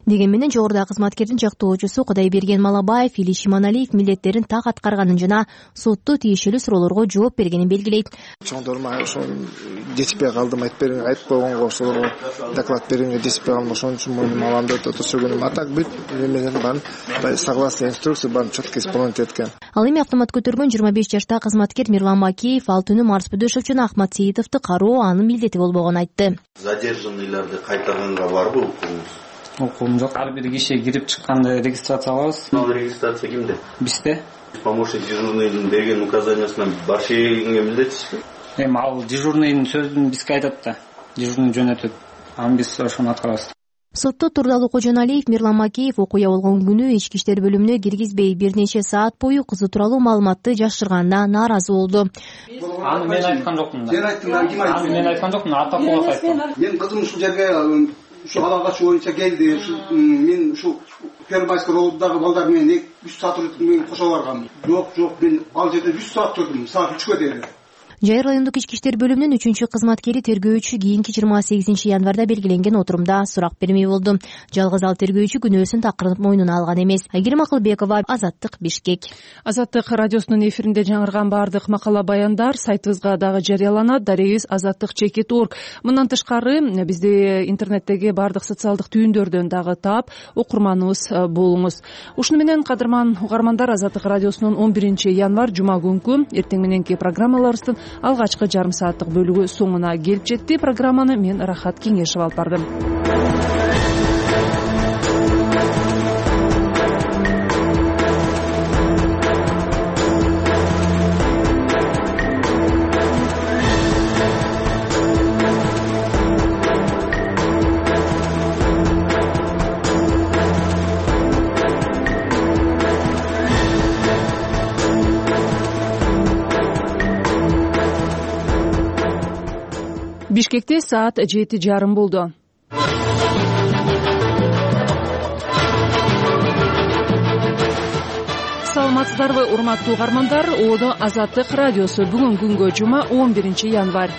Деген менен жогоруда кызматкердин жактоочусу Кудайберген Малабаев Илиш Иманалиев милдеттерин так аткарганын жана сотто тиешелүү суроолорго жооп бергенин белгилейт. Чоңдорма ошо жетишпей калдым, айтып бериң, айтып койгонго ошолорго доклад бериңге жетишпей калдым, ошон үчүн муну маламды өтө сүргөнүм. А так бүт немелер бар, согласно инструкции бар, четко исполнить эткен. Ал эми автомат көтөргөн жыйырма беш жаштагы кызматкер Мирлан Макеев ал түнү Марс Бөдөшев жана Ахмат Сейитовду кароо анын милдети болбогонун айтты. Задержанныйларды кайтарганга барбы укугуңуз? Укугум жок. Ар бир киши кирип чыкканды регистрация кылабыз. Ал регистрация кимде? Бизде. Помощник дежурныйдын берген указаниясынан барча эгенге милдетсизби? Эми ал дежурныйдын сөзүн бизге айтат да. Дежурный жөнөтөт. Аны биз ошону аткарабыз. Сотто Турдалы Кожоналиев Мирлан Макеев окуя болгон күнү ички иштер бөлүмүнө киргизбей бир нече саат бою кызы тууралуу маалыматты жашырганына нааразы болду. Аны мен айткан жокмун да. Сен айттың, ким айтты? Аны мен айткан жокмун, Атакулов айткан. Мен кызым ушул жерге ушу алагач боюнча келди. Мен ушу Первомайский рооддагы балдар менен үч саат мен кошо баргам. Жок, жок, мен ал жерде үч саат турдум, саат үчкө дейин. Жайыр райондук ички иштер бөлүмүнүн үчүнчү кызматкери тергөөчү кийинки жыйырма сегизинчи январда белгиленген отурумда сурак бермей болду. Жалгыз ал тергөөчү күнөөсүн такырынып мойнуна алган эмес. Айгерим Акылбекова, Азаттык, Бишкек. Азаттык радиосунун эфиринде жаңырган баардык макала баяндар сайтыбызга дагы жарыяланат. Дарегибиз азаттык чекит точка орг. Мындан тышкары бизди интернеттеги баардык социалдык түйүндөрдөн дагы таап окурманыбыз болуңуз. Ушуну менен кадырман угармандар, Азаттык радиосунун он биринчи январь жума күнкү эртең мененки программаларыбыздын алгачкы жарым сааттык бөлүгү соңуна келип жетти. Программаны мен Рахат Кеңешева алып бардым. Бишкекте саат жети жарым болду. Саламатсыздарбы, урматтуу угармандар? Оодо Азаттык радиосу. Бүгүн күнгө жума он биринчи январь.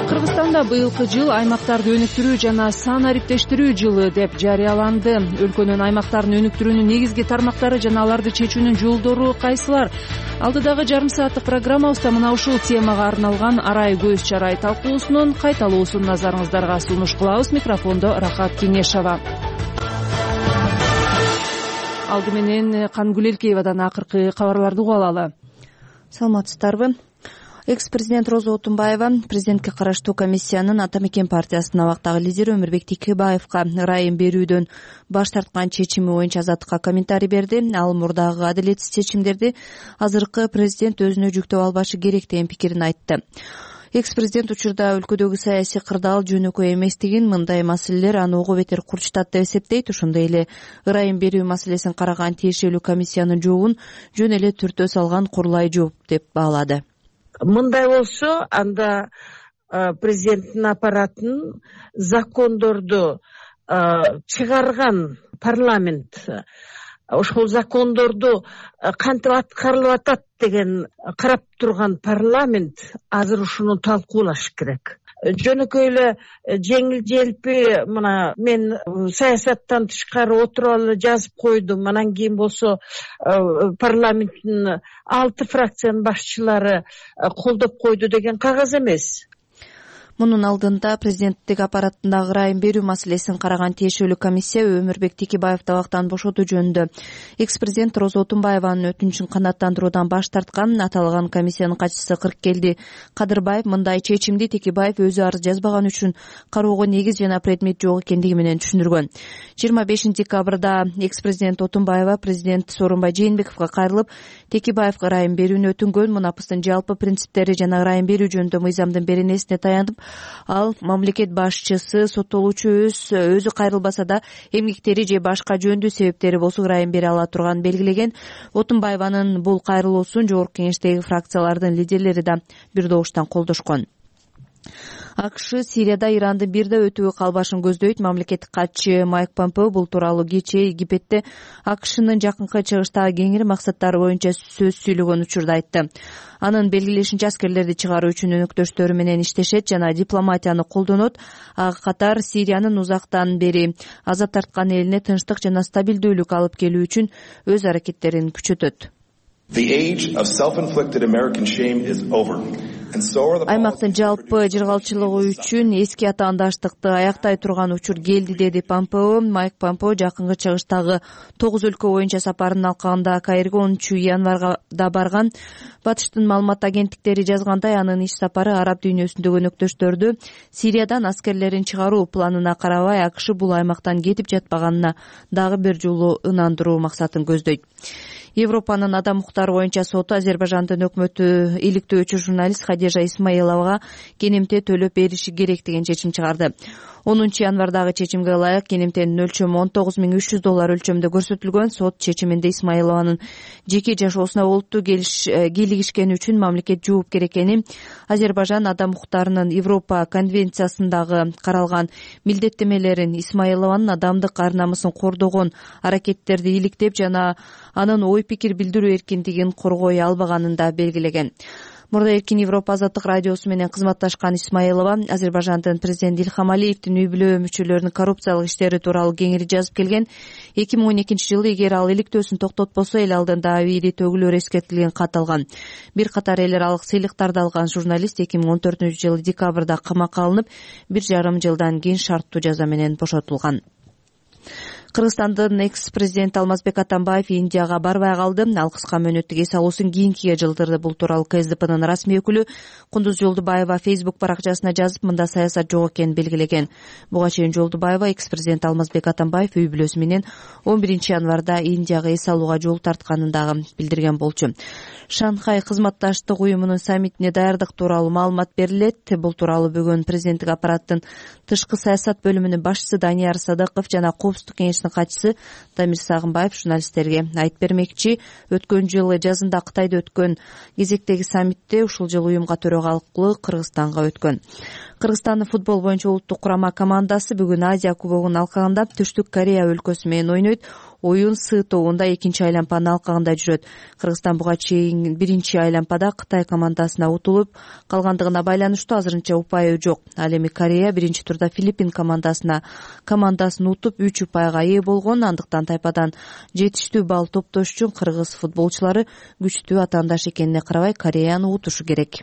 Кыргызстанда быйылкы жыл аймактарды өнүктүрүү жана санариптештирүү жылы деп жарыяланды. Өлкөнүн аймактарын өнүктүрүүнүн негизги тармактары жана аларды чечүүнүн жолдору кайсылар? Алдыдагы жарым сааттык программабызда мына ушул темага арналган арай көз чарай талкуусунун кайталоосун назарыңыздарга сунуш кылабыз. Микрофондо Рахат Кеңешева. Алды менен Кангүл Элкеевадан акыркы кабарларды угуп алалы. Саламатсыздарбы? Экс-президент Роза Отунбаева президентке караштуу комиссиянын Ата Мекен партиясынын абактагы лидери Өмүрбек Текебаевка ырайым берүүдөн баш тарткан чечими боюнча Азаттыкка комментарий берди. Ал мурдагы адилетсиз чечимдерди азыркы президент өзүнө жүктөп албашы керек деген пикирин айтты. Экс-президент учурда өлкөдөгү саясий кырдаал жөнөкөй эместигин, мындай маселелер аны ого бетер курчутат деп эсептейт. Ошондой эле ырайым берүү маселесин караган тиешелүү комиссиянын жообун жөн эле түртө салган курулай жооп деп баалады. Мындай болсо, анда президенттин аппаратын закондорду чыгарган парламент, ошол закондорду кантип аткарылып атат деген карап турган парламент азыр ушуну талкуулаш керек. Жөнөкөй эле жеңил желпи мына мен саясаттан тышкары отуруп жазып койдум. Анан кийин болсо парламенттин алты фракциянын башчылары колдоп койду деген кагаз эмес. Мунун алдында президенттик аппараттындагы ырайым берүү маселесин караган тиешелүү комиссия Өмүрбек Текебаевди абактан бошотуу жөнүндө экс-президент Роза Отунбаеванын өтүнүчүн канааттандыруудан баш тарткан. Аталган комиссиянын катчысы Кыркелди Кадырбаев мындай чечимди Текебаев өзү арыз жазбаган үчүн кароого негиз жана предмет жок экендиги менен түшүндүргөн. жыйырма бешинчи декабрда экс-президент Отунбаева президент Сооронбай Жээнбековго кайрылып, Текебаевга ырайым берүүнү өтүнгөн. Мунапыстын жалпы принциптери жана ырайым берүү жөнүндө мыйзамдын беренесине таянып, ал мамлекет башчысы соттолуучу өз өзү кайрылбаса да эмгектери же башка жөндүү себептери болсо ырайым бере ала турганын белгилеген. Отунбаеванын бул кайрылуусун жогорку кеңештеги фракциялардын лидерлери да бир добуштан колдошкон. АКШ Сирияда Ирандын бирде өтүүгө калбашын көздөйт. Мамлекеттик катчы Майк Помпео бул тууралуу кечээ Египетте АКШнын жакынкы чыгыштагы кеңири максаттары боюнча сөз сүйлөгөн учурда айтты. Анын белгилешинче аскерлерди чыгаруу үчүн өнөктөштөрү менен иштешет жана дипломатияны колдонот. Ага катар Сириянын узактан бери аза тарткан элине тынчтык жана стабилдүүлүк алып келүү үчүн өз аракеттерин күчөтөт. Аймактын жалпы жыргалчылыгы үчүн эски атаандаштыкты аяктай турган учур келди, деди Помпео. Майк Помпео жакынкы чыгыштагы тогуз өлкө боюнча сапарын алкагында Каирге онунчу январга да барган. Батыштын маалымат агенттиктери жазгандай, анын иш сапары араб дүйнөсүндөгү өнөктөштөрдү Сириядан аскерлерин чыгаруу планына карабай АКШ бул аймактан кетип жатпаганына дагы бир жолу ынандыруу максатын көздөйт. Европанын адам укуктары боюнча соту Азербайжандын өкмөтү иликтөөчү журналист Хадижа Исмаиловага кенемте төлөп бериши керек деген чечим чыгарды. онунчу январдагы чечимге ылайык кенемтенин өлчөмү он тогуз миң үч жүз доллар өлчөмдө көрсөтүлгөн. Сот чечиминде Исмаилованын жеке жашоосуна олуттуу кийлигишкени үчүн мамлекет жоопкер экени, Азербайжан адам укуктарынын Европа конвенциясындагы каралган милдеттемелерин, Исмаилованын адамдык ар-намысын кордогон аракеттерди иликтеп жана анын ой пикир билдирүү эркиндигин коргой албаганын да белгилеген. Мурда Эркин Европа азаттык радиосу менен кызматташкан Исмаилова Азербайжандын президенти Илхам Алиевдин үй бүлө мүчөлөрүнүн коррупциялык иштери тууралуу кеңири жазып келген. эки миң он экинчи жылы эгер ал иликтөөсүн токтотпосо, эл алдында абийири төгүлөр эскертилген кат алган. Бир катар эл аралык сыйлыктарды алган журналист эки миң он төртүнчү жылы декабрда камакка алынып, бир жарым жылдан кийин шарттуу жаза менен бошотулган. Кыргызстандын экс-президенти Алмазбек Атамбаев Индияга барбай калды. Ал кыска мөөнөттүк эс алуусун кийинкиге жылдырды. Бул тууралуу КСДПнын расмий өкүлү Кундуз Жолдубаева Facebook баракчасына жазып, мында саясат жок экенин белгилеген. Буга чейин Жолдубаева экс-президент Алмазбек Атамбаев үй бүлөсү менен он биринчи январда Индияга эс алууга жол тартканын дагы билдирген болчу. Шанхай кызматташтык уюмунун саммитине даярдык тууралуу маалымат берилет. Бул тууралуу бүгүн президенттик аппараттын тышкы саясат бөлүмүнүн башчысы Данияр Садыков жана Коопсуздук кеңешинин катчысы Дамир Сагынбаев журналисттерге айтып бермекчи. Өткөн жылы жазында Кытайда өткөн кезектеги саммитте ушул жылы уюмга төрагалык Кыргызстанга өткөн. Кыргызстандын футбол боюнча улуттук курама командасы бүгүн Азия кубогунун алкагында Түштүк Корея өлкөсү менен ойнойт. Оюн Сы тобунда экинчи айланпанын алкагында жүрөт. Кыргызстан буга чейин биринчи айланпада Кытай командасына утулуп калгандыгына байланыштуу азырынча упайы жок. Ал эми Корея биринчи турда Филиппин командасына командасын утуп үч упайга ээ болгон. Андыктан тайпадан жетиштүү балл топтош үчүн кыргыз футболчулары күчтүү атаандаш экенине карабай Кореяны утушу керек.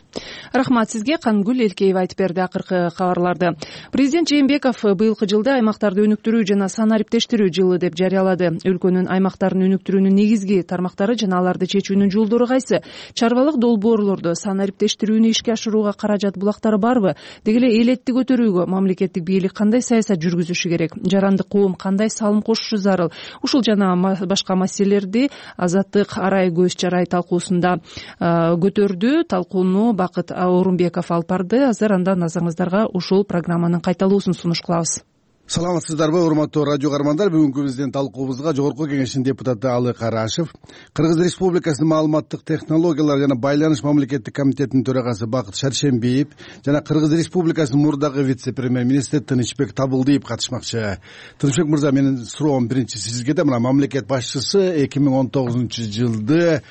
Рахмат сизге. Кангүл Элкеева айтып берди акыркы кабарларды. Президент Жээнбеков быйылкы жылды аймактарды өнүктүрүү жана санариптештирүү жылы деп жарыялады. Өлкөнүн аймактарын өнүктүрүүнүн негизги тармактары жана аларды чечүүнүн жолдору кайсы? Чарбалык долбоорлорду санариптештирүүнү ишке ашырууга каражат булактары барбы? Деги эле элетти көтөрүүгө мамлекеттик бийлик кандай саясат жүргүзүшү керек? Жарандык коом кандай салым кошушу зарыл? Ушул жана башка маселелерди Азаттык арай көз чарай талкуусунда көтөрдү. Талкууну Бакыт Орунбеков алып барды. Азыр анда назарыңыздарга ушул программанын кайталуусун сунуш кылабыз. Саламатсыздарбы, урматтуу радио каармандар. Бүгүнкү биздин талкуубузга Жогорку Кеңештин депутаты Алы Карашев, Кыргыз Республикасынын маалыматтык технологиялар жана байланыш мамлекеттик комитетинин төрагасы Бакыт Шаршембиев жана Кыргыз Республикасынын мурдагы вице-премьер-министри Тынычбек Табылдиев катышмакчы. Тынычбек мырза, менин суроом биринчи сизге да. Мына мамлекет башчысы эки миң он тогузунчу жылды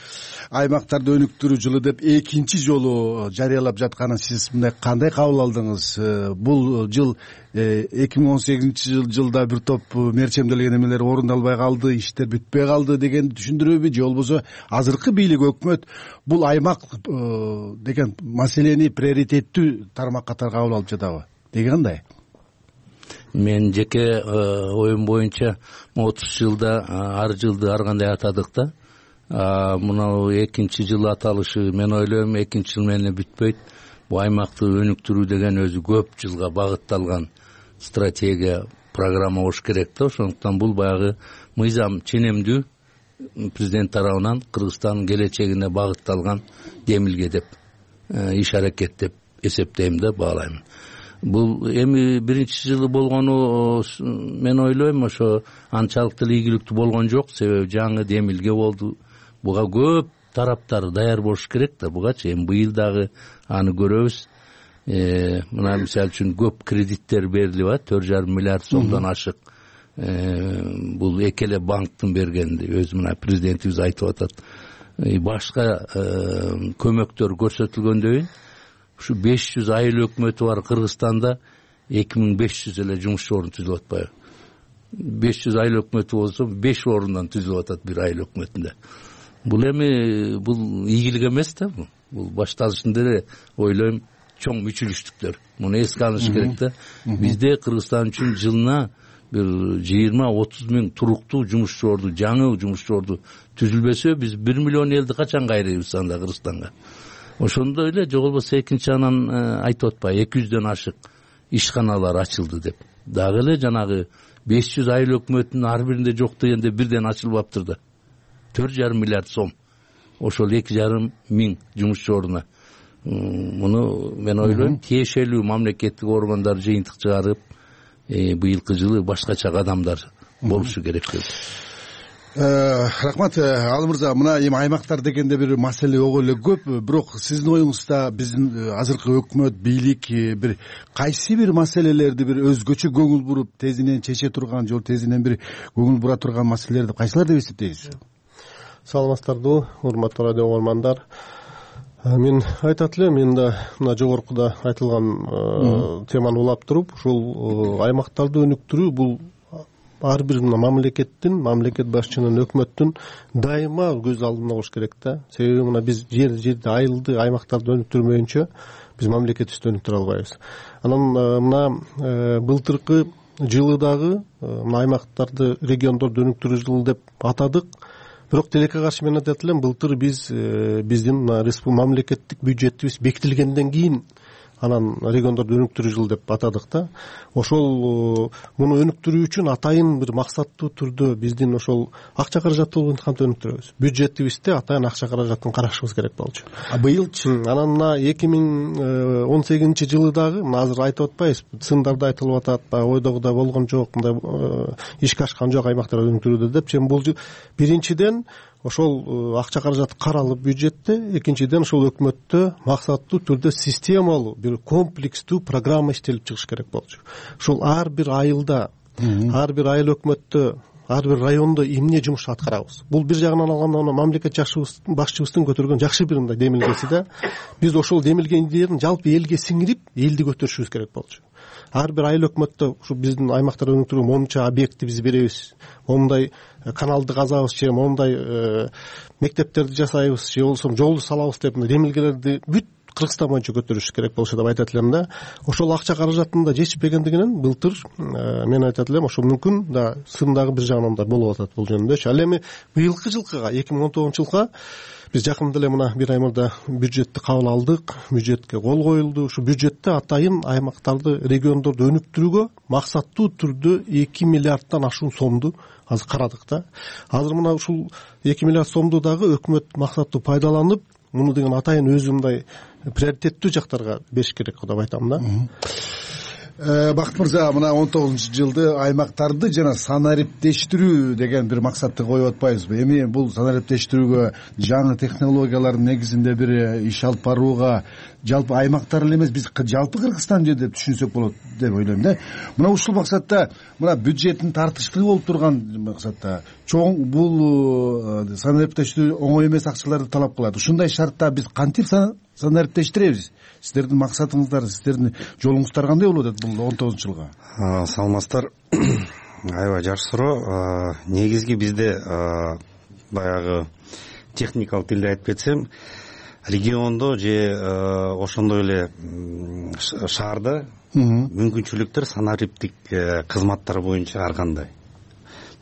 аймактарды өнүктүрүү жылы деп экинчи жолу жарыялап жатканын сиз мындай кандай кабыл алдыңыз? Бул жыл эки миң он сегизинчи жылда бир топ мерчемделген эмелер орундалбай калды, иштер бүтпөй калды дегенди түшүндүрөбү, же болбосо азыркы бийлик өкмөт бул аймак деген маселени приоритеттүү тармак катары кабыл алып жатабы? Деги кандай? Мен жеке оюм боюнча отуз жылда ар жылды ар кандай атадык да. Мына экинчи жыл аталышы, мен ойлойм экинчи жыл менен бүтпөйт. Бул аймакты өнүктүрүү деген өзү көп жылга багытталган стратегия, программа болуш керек да. Ошондуктан бул баягы мыйзам ченемдүү президент тарабынан Кыргызстандын келечегине багытталган демилге деп, иш аракет деп эсептейм да, баалайм. Бул эми биринчи жылы болгону мен ойлойм ошо анчалык деле ийгиликтүү болгон жок, себеби жаңы демилге болду. Буга көп тараптар даяр болуш керек да. Бугачы эми быйыл дагы аны көрөбүз. Мына мисалы үчүн көп кредиттер берилип атат, төрт жарым миллиард сомдон ашык. Бул эки эле банктын бергенди, өзү мына президентибиз айтып атат. Башка көмөктөр көрсөтүлгөндөн кийин ушу беш жүз айыл өкмөтү бар Кыргызстанда эки миң беш жүз эле жумуш орун түзүлүп атпайбы? беш жүз айыл өкмөтү болсо беш орундан түзүлүп атат бир айыл өкмөтүндө. Бул эми бул ийгилик эмес да. Бул башталышында эле ойлойм чоң мүчүлүштүктөр. Муну эске алыш керек да. Бизде Кыргызстан үчүн жылына бир жыйырма отуз миң туруктуу жумуш орду, жаңы жумуш орду түзүлбөсө, биз бир миллион элди качан кайрыйбыз анда Кыргызстанга? Ошондой эле же болбосо экинчи анан айтып атпайбы, эки жүздөн ашык ишканалар ачылды деп. Дагы эле жанагы беш жүз айыл өкмөтүнүн ар биринде жок дегенде бирден ачылбаптыр да. төрт жарым миллиард сом. Ошол эки жарым миң жумуш ордуна. Муну мен ойлойм тиешелүү мамлекеттик органдар жыйынтык чыгарып, быйылкы жылы башкача кадамдар болушу керек деп. Рахмат Алы мырза, мына эми аймактар дегенде бир маселе ого эле көп, бирок сиздин оюңузда биздин азыркы өкмөт, бийлик бир кайсы бир маселелерди бир өзгөчө көңүл буруп тезинен чече турган, же тезинен бир көңүл бура турган маселелерди кайсылар деп эсептейсиз? Саламатсыздарбы, урматтуу радио угармандар. Мен айтат элем, мен да мына жогоркуда айтылган теманы улап туруп, ушул аймактарды өнүктүрүү бул ар бир мамлекеттин, мамлекет башчынын, өкмөттүн дайыма көз алдында болуш керек да. Себеби мына биз жер жерде айылды аймактарды өнүктүрмөйүнчө биз мамлекетибизди өнүктүрө албайбыз. Анан мына былтыркы жылы дагы мына аймактарды, региондорду өнүктүрүү жылы деп атадык. Бирок тилекке каршы мен айтат элем, былтыр биз биздин мамлекеттик бюджетибиз бекитилгенден кийин анан региондорду өнүктүрүү жылы деп атадык да. Ошол муну өнүктүрүү үчүн атайын бир максаттуу түрдө биздин ошол акча каражаты болуп кантип өнүктүрөбүз. Бюджетибизде атайын акча каражатын карашыбыз керек болчу. А быйылчы анан мына эки миң он сегизинчи жылы дагы мына азыр айтып атпайбыз, сындарда айтылып атат, баягы ойдогудай болгон жок, мындай ишке ашкан жок аймактарды өнүктүрүүдө депчи. Бул биринчиден ошол акча каражаты каралып бюджетте, экинчиден ошол өкмөттө максаттуу түрдө системалуу бир комплекстүү программа иштелип чыгыш керек болчу. Ошол ар бир айылда, ар бир айыл өкмөттө, ар бир райондо эмне жумуш аткарабыз. Бул бир жагынан алганда мамлекет башчыбыздын көтөргөн жакшы бир мындай демилгеси да. Биз ошол демилге идеяны жалпы элге сиңирип, элди көтөрүшүбүз керек болчу. Ар бир айыл өкмөттө ушу биздин аймактарды өнүктүрүү момунча объектти биз беребиз, момундай каналды казабыз, же момундай мектептерди жасайбыз, же болбосо жолду салабыз деп демилгелерди бүт Кыргызстан боюнча көтөрүш керек болчу деп айтат элем да. Ошол акча каражатында жетишпегендигинен былтыр мен айтат элем, ошол мүмкүн да сын дагы бир жагынан да болуп атат бул жөнүндө. Ал эми быйылкы жылкыга, эки миң он тогузунчу жылга биз жакында эле мына бир ай мурда бюджетти кабыл алдык, бюджетке кол коюлду. Ушу бюджетте атайын аймактарды, региондорду өнүктүрүүгө максаттуу түрдө эки миллиарддан ашуун сомду азыр карадык да. Азыр мына ушул эки миллиард сомду дагы өкмөт максаттуу пайдаланып, муну деген атайын өзү мындай приоритеттүү жактарга бериш керек деп айтам да. Бакыт мырза, мына он тогузунчу жылды аймактарды жана санариптештирүү деген бир максатты коюп атпайбызбы? Эми бул санариптештирүүгө, жаңы технологиялардын негизинде бир иш алып барууга жалпы аймактар эле эмес, биз жалпы Кыргызстан жер деп түшүнсөк болот деп ойлойм да. Мына ушул максатта, мына бюджеттин тартыштуу болуп турган максатта чоң бул санариптештирүү оңой эмес акчаларды талап кылат. Ушундай шартта биз кантип санариптештиребиз? Сиздердин максатыңыздар, сиздердин жолуңуздар кандай болуп атат бул он тогузунчу жылга? Саламатсыздар. Аябай жакшы суроо. Негизги бизде баягы техникалык тилде айтып кетсем, региондо же ошондой эле шаарда мүмкүнчүлүктөр санариптик кызматтар боюнча ар кандай.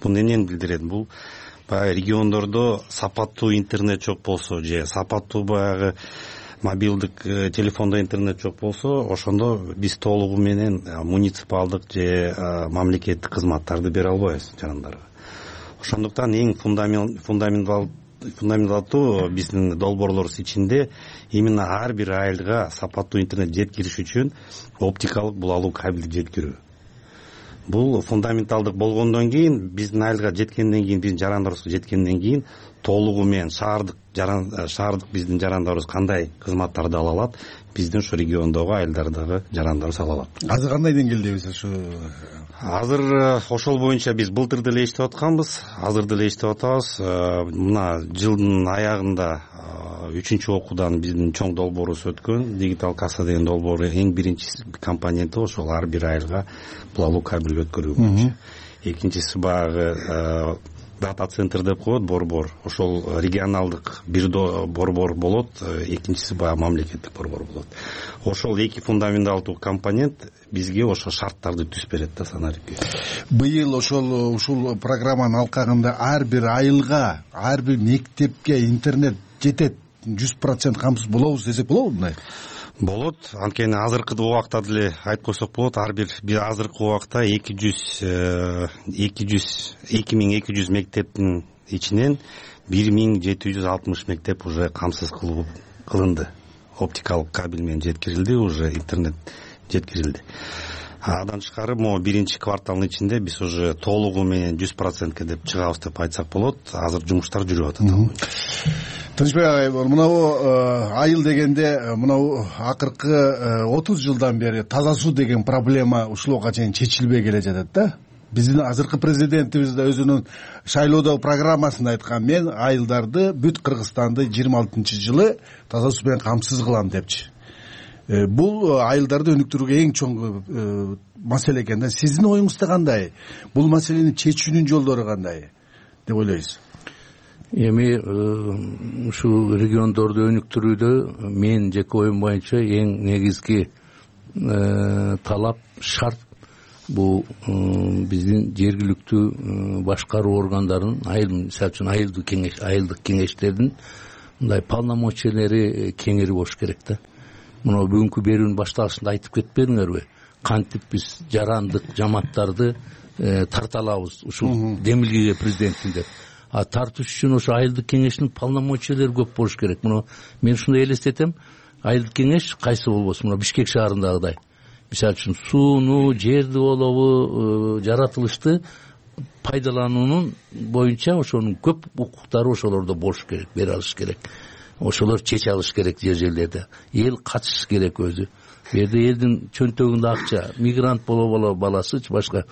Бул эмнени билдирет? Бул баягы региондордо сапаттуу интернет жок болсо, же сапаттуу баягы мобилдик телефондо интернет жок болсо, ошондо биз толугу менен муниципалдык же мамлекеттик кызматтарды бере албайбыз жарандарга. Ошондуктан эң фундаментал фундаменталдуу биздин долбоорлорубуз ичинде именно ар бир айылга сапаттуу интернет жеткириш үчүн оптикалык булалуу кабелди жеткирүү. Бул фундаменталдык болгондон кийин, биздин айылга жеткенден кийин, биздин жарандарыбызга жеткенден кийин толугу менен шаардык шаардык биздин жарандарыбыз кандай кызматтарды ала алат, биздин ушу региондогу айылдардагы жарандарыбыз ала алат. Азыр кандай деңгээлдебиз ушу? Азыр ошол боюнча биз былтыр деле иштеп атканбыз, азыр деле иштеп атабыз. Мына жылдын аягында үчүнчү окуудан биздин чоң долбоорубуз өткөн, дигитал касса деген долбоор эң биринчи компоненти ошол ар бир айылга булалуу кабель өткөрүү боюнча. Экинчиси баягы дата центр деп коет, борбор. Ошол регионалдык бир борбор болот, экинчиси баягы мамлекеттик борбор болот. Ошол эки фундаменталдуу компонент бизге ошо шарттарды түзүп берет да санарипке. Быйыл ошол ушул программанын алкагында ар бир айылга, ар бир мектепке интернет жетет, жүз процент камсыз болобуз десек болобу мындай? Болот. Анткени азыркы убакта деле айтып койсок болот, ар бир азыркы убакта эки жүз эки миң эки жүз мектептин ичинен бир миң жети жүз алтымыш мектеп уже камсыз кылынды. Оптикалык кабель менен жеткирилди, уже интернет жеткирилди. Андан тышкары могу биринчи кварталдын ичинде биз уже толугу менен жүз процентке деп чыгабыз деп айтсак болот. Азыр жумуштар жүрүп атат. Тынчбек агай, мынабу айыл дегенде мынабу акыркы отуз жылдан бери таза суу деген проблема ушулга чейин чечилбей келе жатат да. Биздин азыркы президентибиз да өзүнүн шайлоодогу программасында айткан, мен айылдарды бүт Кыргызстанды жыйырма алтынчы жылы таза суу менен камсыз кылам депчи. Бул айылдарды өнүктүрүүгө эң чоң маселе экен да. Сиздин оюңузда кандай? Бул маселени чечүүнүн жолдору кандай деп ойлойсуз? Эми ушул региондорду өнүктүрүүдө мен жеке оюм боюнча эң негизги талап, шарт бул биздин жергиликтүү башкаруу органдарынын, айыл, мисалы үчүн айылдык кеңеш, айылдык кеңештердин мындай полномочиялери кеңири болуш керек да. Мына бүгүнкү берүүнүн башталышында айтып кетпедиңерби? Кантип биз жарандык жамааттарды тарта алабыз ушул демилгеге президенттин деп. А тартыш үчүн ошо айылдык кеңештин полномочиялери көп болуш керек. Мына мен ушундай элестетем, айылдык кеңеш кайсы болбосун, мына Бишкек шаарындагыдай. Мисалы үчүн сууну, жерди болобу, жаратылышты пайдалануунун боюнча ошонун көп укуктары ошолордо болуш керек, бере алыш керек. Ошолор чече алыш керек жер жерлерде. Эл катышыш керек өзү. Бу жерде элдин чөнтөгүндө акча, мигрант боло боло баласычы башка.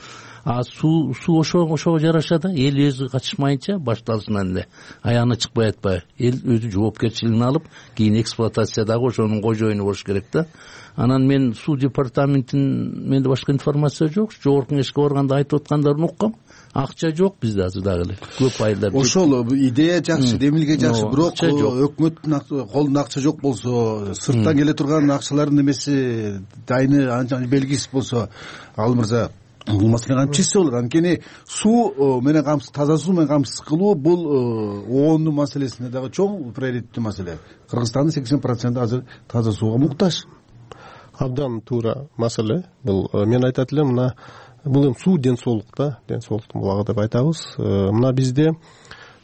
А суу суу ошо ошого жараша да, эл өзү катышмайынча башталышынан эле аяғына чыкпай атпай, эл өзү жоопкерчилигин алып, кийин эксплуатациядагы ошонун кожоюну болуш керек да. Анан мен суу департаментин, менде башка информация жок, жогорку кеңешке барганда айтып аткандарын уккам. Акча жок бизде азыр дагы эле. Көп айылдар. Ошол идея жакшы, демилге жакшы, бирок өкмөттүн колунда акча жок болсо, сырттан келе турган акчалардын немеси дайыны анча белгисиз болсо, ал мырза бул маселе кантип чечсе болот? Анткени суу менен камсыз, таза суу менен камсыз кылуу бул оондун маселесине дагы чоң приоритеттүү маселе. Кыргызстандын сексен проценти азыр таза сууга муктаж. Абдан туура маселе. Бул мен айтат элем, мына бул эми суу ден соолук да, ден соолуктун булагы деп айтабыз. Мына бизде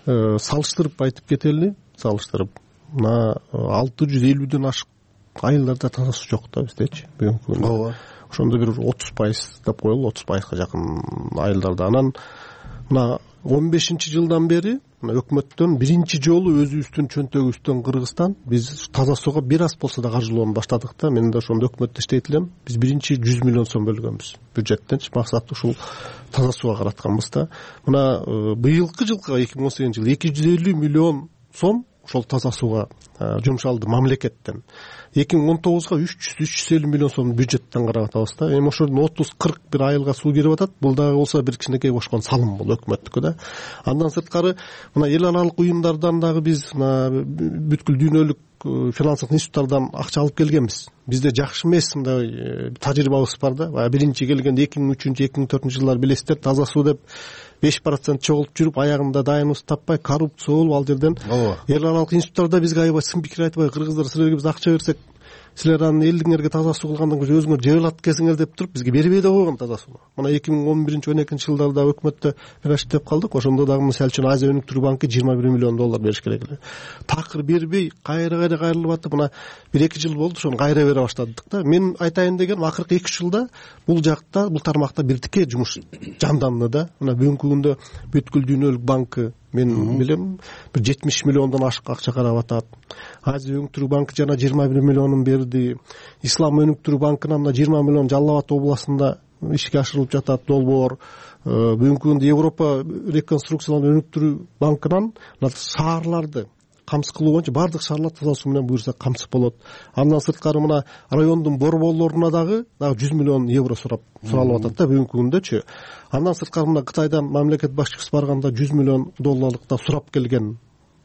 салыштырып айтып кетели, салыштырып. Мына алты жүз элүүдөн ашык айылдарда таза суу жок да биздечи бүгүнкү күндө. Ооба. Ошондо бир отуз пайыз деп коелу, отуз пайызга жакын айылдарда. Анан мына он бешинчи жылдан бери мына өкмөттөн биринчи жолу өзүбүздүн чөнтөгүбүздөн Кыргызстан биз таза сууга бир аз болсо да каржылоону баштадык да. Мен да ошондо өкмөттө иштейт элем. Биз биринчи жүз миллион сом бөлгөнбүз бюджеттенчи, максаты ушул таза сууга каратканбыз да. Мына быйылкы жылкы эки миң он сегизинчи жылы эки жүз элүү миллион сом ошол таза сууга жумшалды мамлекеттен. эки миң он тогузга үч жүз үч жүз элүү миллион сом бюджеттен карап атабыз да. Эми ошодон отуз кырк бир айылга суу кирип атат. Бул дагы болсо бир кичинекей кошкон салым, бул өкмөттүкү да. Андан сырткары мына эл аралык уюмдардан дагы биз мына бүткүл дүйнөлүк финансылык институттардан акча алып келгенбиз. Бизде жакшы эмес мындай тажрыйбабыз бар да. Баягы биринчи келгенде эки миң үчүнчү эки миң төртүнчү жылдары билесиздер, таза суу деп беш процент чогулуп жүрүп, аягында дайыныбызды таппай, коррупция болуп, ал жерден эл аралык институттарда бизге аябай сын пикир айтпай, кыргыздар силерге биз акча берсек, силер анан элдиңерге таза суу кылгандан кийин өзүңөр жебелат экенсиңер деп туруп бизге бербей да койгон таза сууну. Мына эки миң он биринчи он экинчи жылдарда өкмөттө раштеп калдык. Ошондо дагы мисалы үчүн Азия өнүктүрүү банкы жыйырма бир миллион доллар бериш керек эле. Такыр бербей, кайра кайра кайрылып атып, мына бир эки жыл болду, ошону кайра бере баштадык да. Мен айтайын дегеним, акыркы эки үч жылда бул жакта, бул тармакта бир тике жумуш жанданды да. Мына бүгүнкү күндө бүткүл дүйнөлүк банкы мен билем бир жетимиш миллиондон ашык акча карап атат. Азия өнүктүрүү банкы жана жыйырма бир миллионун берди. Ислам өнүктүрүү банкынан да жыйырма миллион Жалал Абад областында ишке ашырылып жатат долбоор. Бүгүнкү күндө Европа реконструкциялануу өнүктүрүү банкынан шаарларды камсыз кылуу боюнча баардык шаарлар таза суу менен буюрса камсыз болот. Андан сырткары мына райондун борборлоруна дагы дагы жүз миллион евро сурап суралып атат да бүгүнкү күндөчү. Андан сырткары мына Кытайдан мамлекет башчысы барганда жүз миллион долларлык да сурап келген.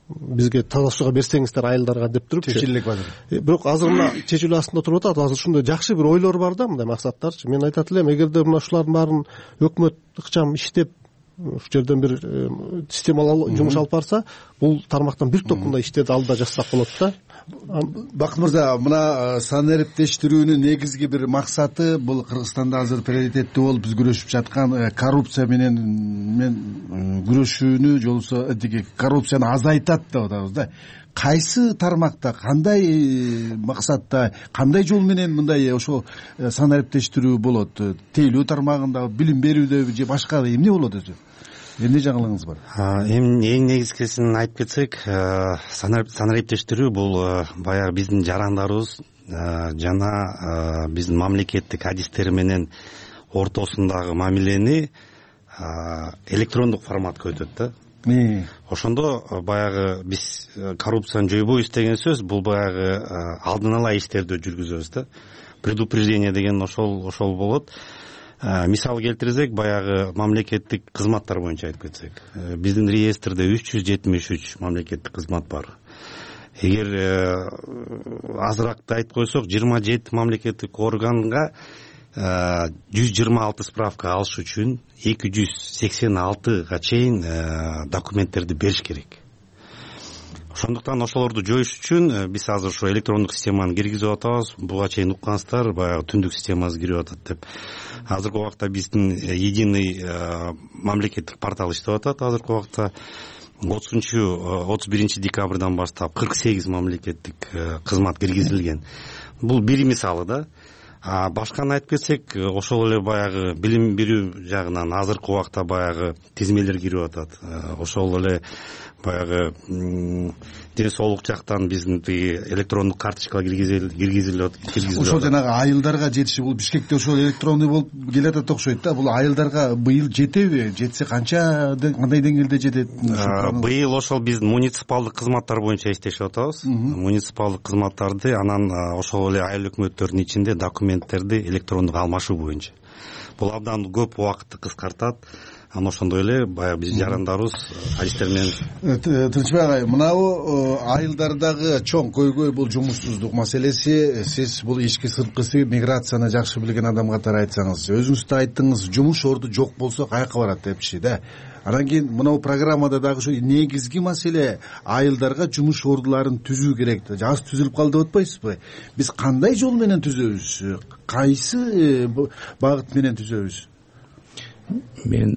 Бизге таза сууга берсеңиздер айылдарга деп туруп чечилек азыр. Бирок азыр мына чечилүү астында туруп атат. Азыр ушундай жакшы бир ойлор бар да, мындай максаттарчы. Мен айтат элем, эгерде мына ушулардын баарын өкмөт ыкчам иштеп, ушу жерден бир системалуу жумуш алып барса, бул тармактан бир топ мындай иштерди алда жасасак болот да. Бакыт мырза, мына санариптештирүүнүн негизги бир максаты бул Кыргызстанда азыр приоритеттүү болуп биз күрөшүп жаткан коррупция менен мен күрөшүүнү, жолсо коррупцияны азайтат деп атабыз да. кайсы тармакта, кандай максатта, кандай жол менен мындай ошол санариптештирүү болот? Тейлөө тармагында, билим берүүдө же башка эмне болот өзү? Эмне жаңылыгыңыз бар? Эми эң негизгисин айтып кетсек, санариптештирүү бул баягы биздин жарандарыбыз жана биздин мамлекеттик адистер менен ортосундагы мамилени электрондук форматка өтөт да. Ошондо баягы биз коррупцияны жойбойбуз деген сөз, бул баягы алдын ала иштерди жүргүзөбүз да. Предупреждение деген ошол ошол болот. Мисал келтирсек, баягы мамлекеттик кызматтар боюнча айтып кетсек, биздин реестрде үч жүз жетимиш үч мамлекеттик кызмат бар. Эгер азыракты айтып койсок, жыйырма жети мамлекеттик органга жүз жыйырма алты справка алыш үчүн эки жүз сексен алтыга чейин документтерди бериш керек. Ошондуктан ошолорду жоюш үчүн биз азыр ошо электрондук системаны киргизип атабыз. Буга чейин уккансыздар, баягы түндүк системасы кирип атат деп. Азыркы убакта биздин единый мамлекеттик портал иштеп атат. Азыркы убакта отузунчу отуз биринчи декабрдан баштап кырк сегиз мамлекеттик кызмат киргизилген. Бул бир мисалы да. А башканы айтып кетсек, ошол эле баягы билим берүү жагынан азыркы убакта баягы тизмелер кирип атат. Ошол эле баягы ден соолук жактан биздин тиги электрондук карточкага киргизилип киргизилип ошол жанагы айылдарга жетиши, бул Бишкекте ошол электронный болуп келатат окшойт да. Бул айылдарга быйыл жетеби? Жетсе канча, кандай деңгээлде жетет? Быйыл ошол биздин муниципалдык кызматтар боюнча иштешип атабыз. Муниципалдык кызматтарды, анан ошол эле айыл өкмөттөрдүн ичинде документтерди электрондук алмашуу боюнча. Бул абдан көп убакытты кыскартат. Анан ошондой эле баягы биз жарандарыбыз адистер менен. Тынчбек агай, мынабу айылдардагы чоң көйгөй бул жумушсуздук маселеси. Сиз бул ички сырткысы миграцияны жакшы билген адам катары айтсаңыз, өзүңүз да айттыңыз, жумуш орду жок болсо каяка барат депчи да. Анан кийин мынабу программада дагы ушу негизги маселе айылдарга жумуш ордуларын түзүү керек. Аз түзүлүп калды деп атпайсызбы? Биз кандай жол менен түзөбүз? Кайсы багыт менен түзөбүз? Мен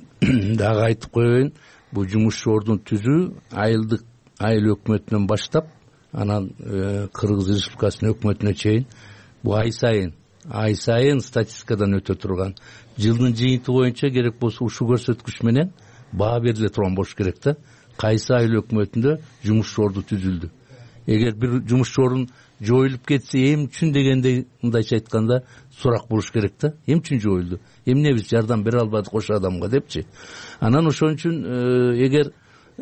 дагы айтып коеюн, бул жумуш ордун түзүү айылдык айыл өкмөтүнөн баштап, анан Кыргыз Республикасынын өкмөтүнө чейин бул ай сайын ай сайын статистикадан өтө турган. Жылдын жыйынты боюнча керек болсо ушул көрсөткүч менен баа бериле турган болуш керек да. Кайсы айыл өкмөтүндө жумуш орду түзүлдү. Эгер бир жумуш ордун жоюлуп кетсе, эм үчүн дегенде мындайча айтканда сурак болуш керек да. Эм үчүн жоюлду? Эмне биз жардам бере албадык ошо адамга депчи. Анан ошон үчүн эгер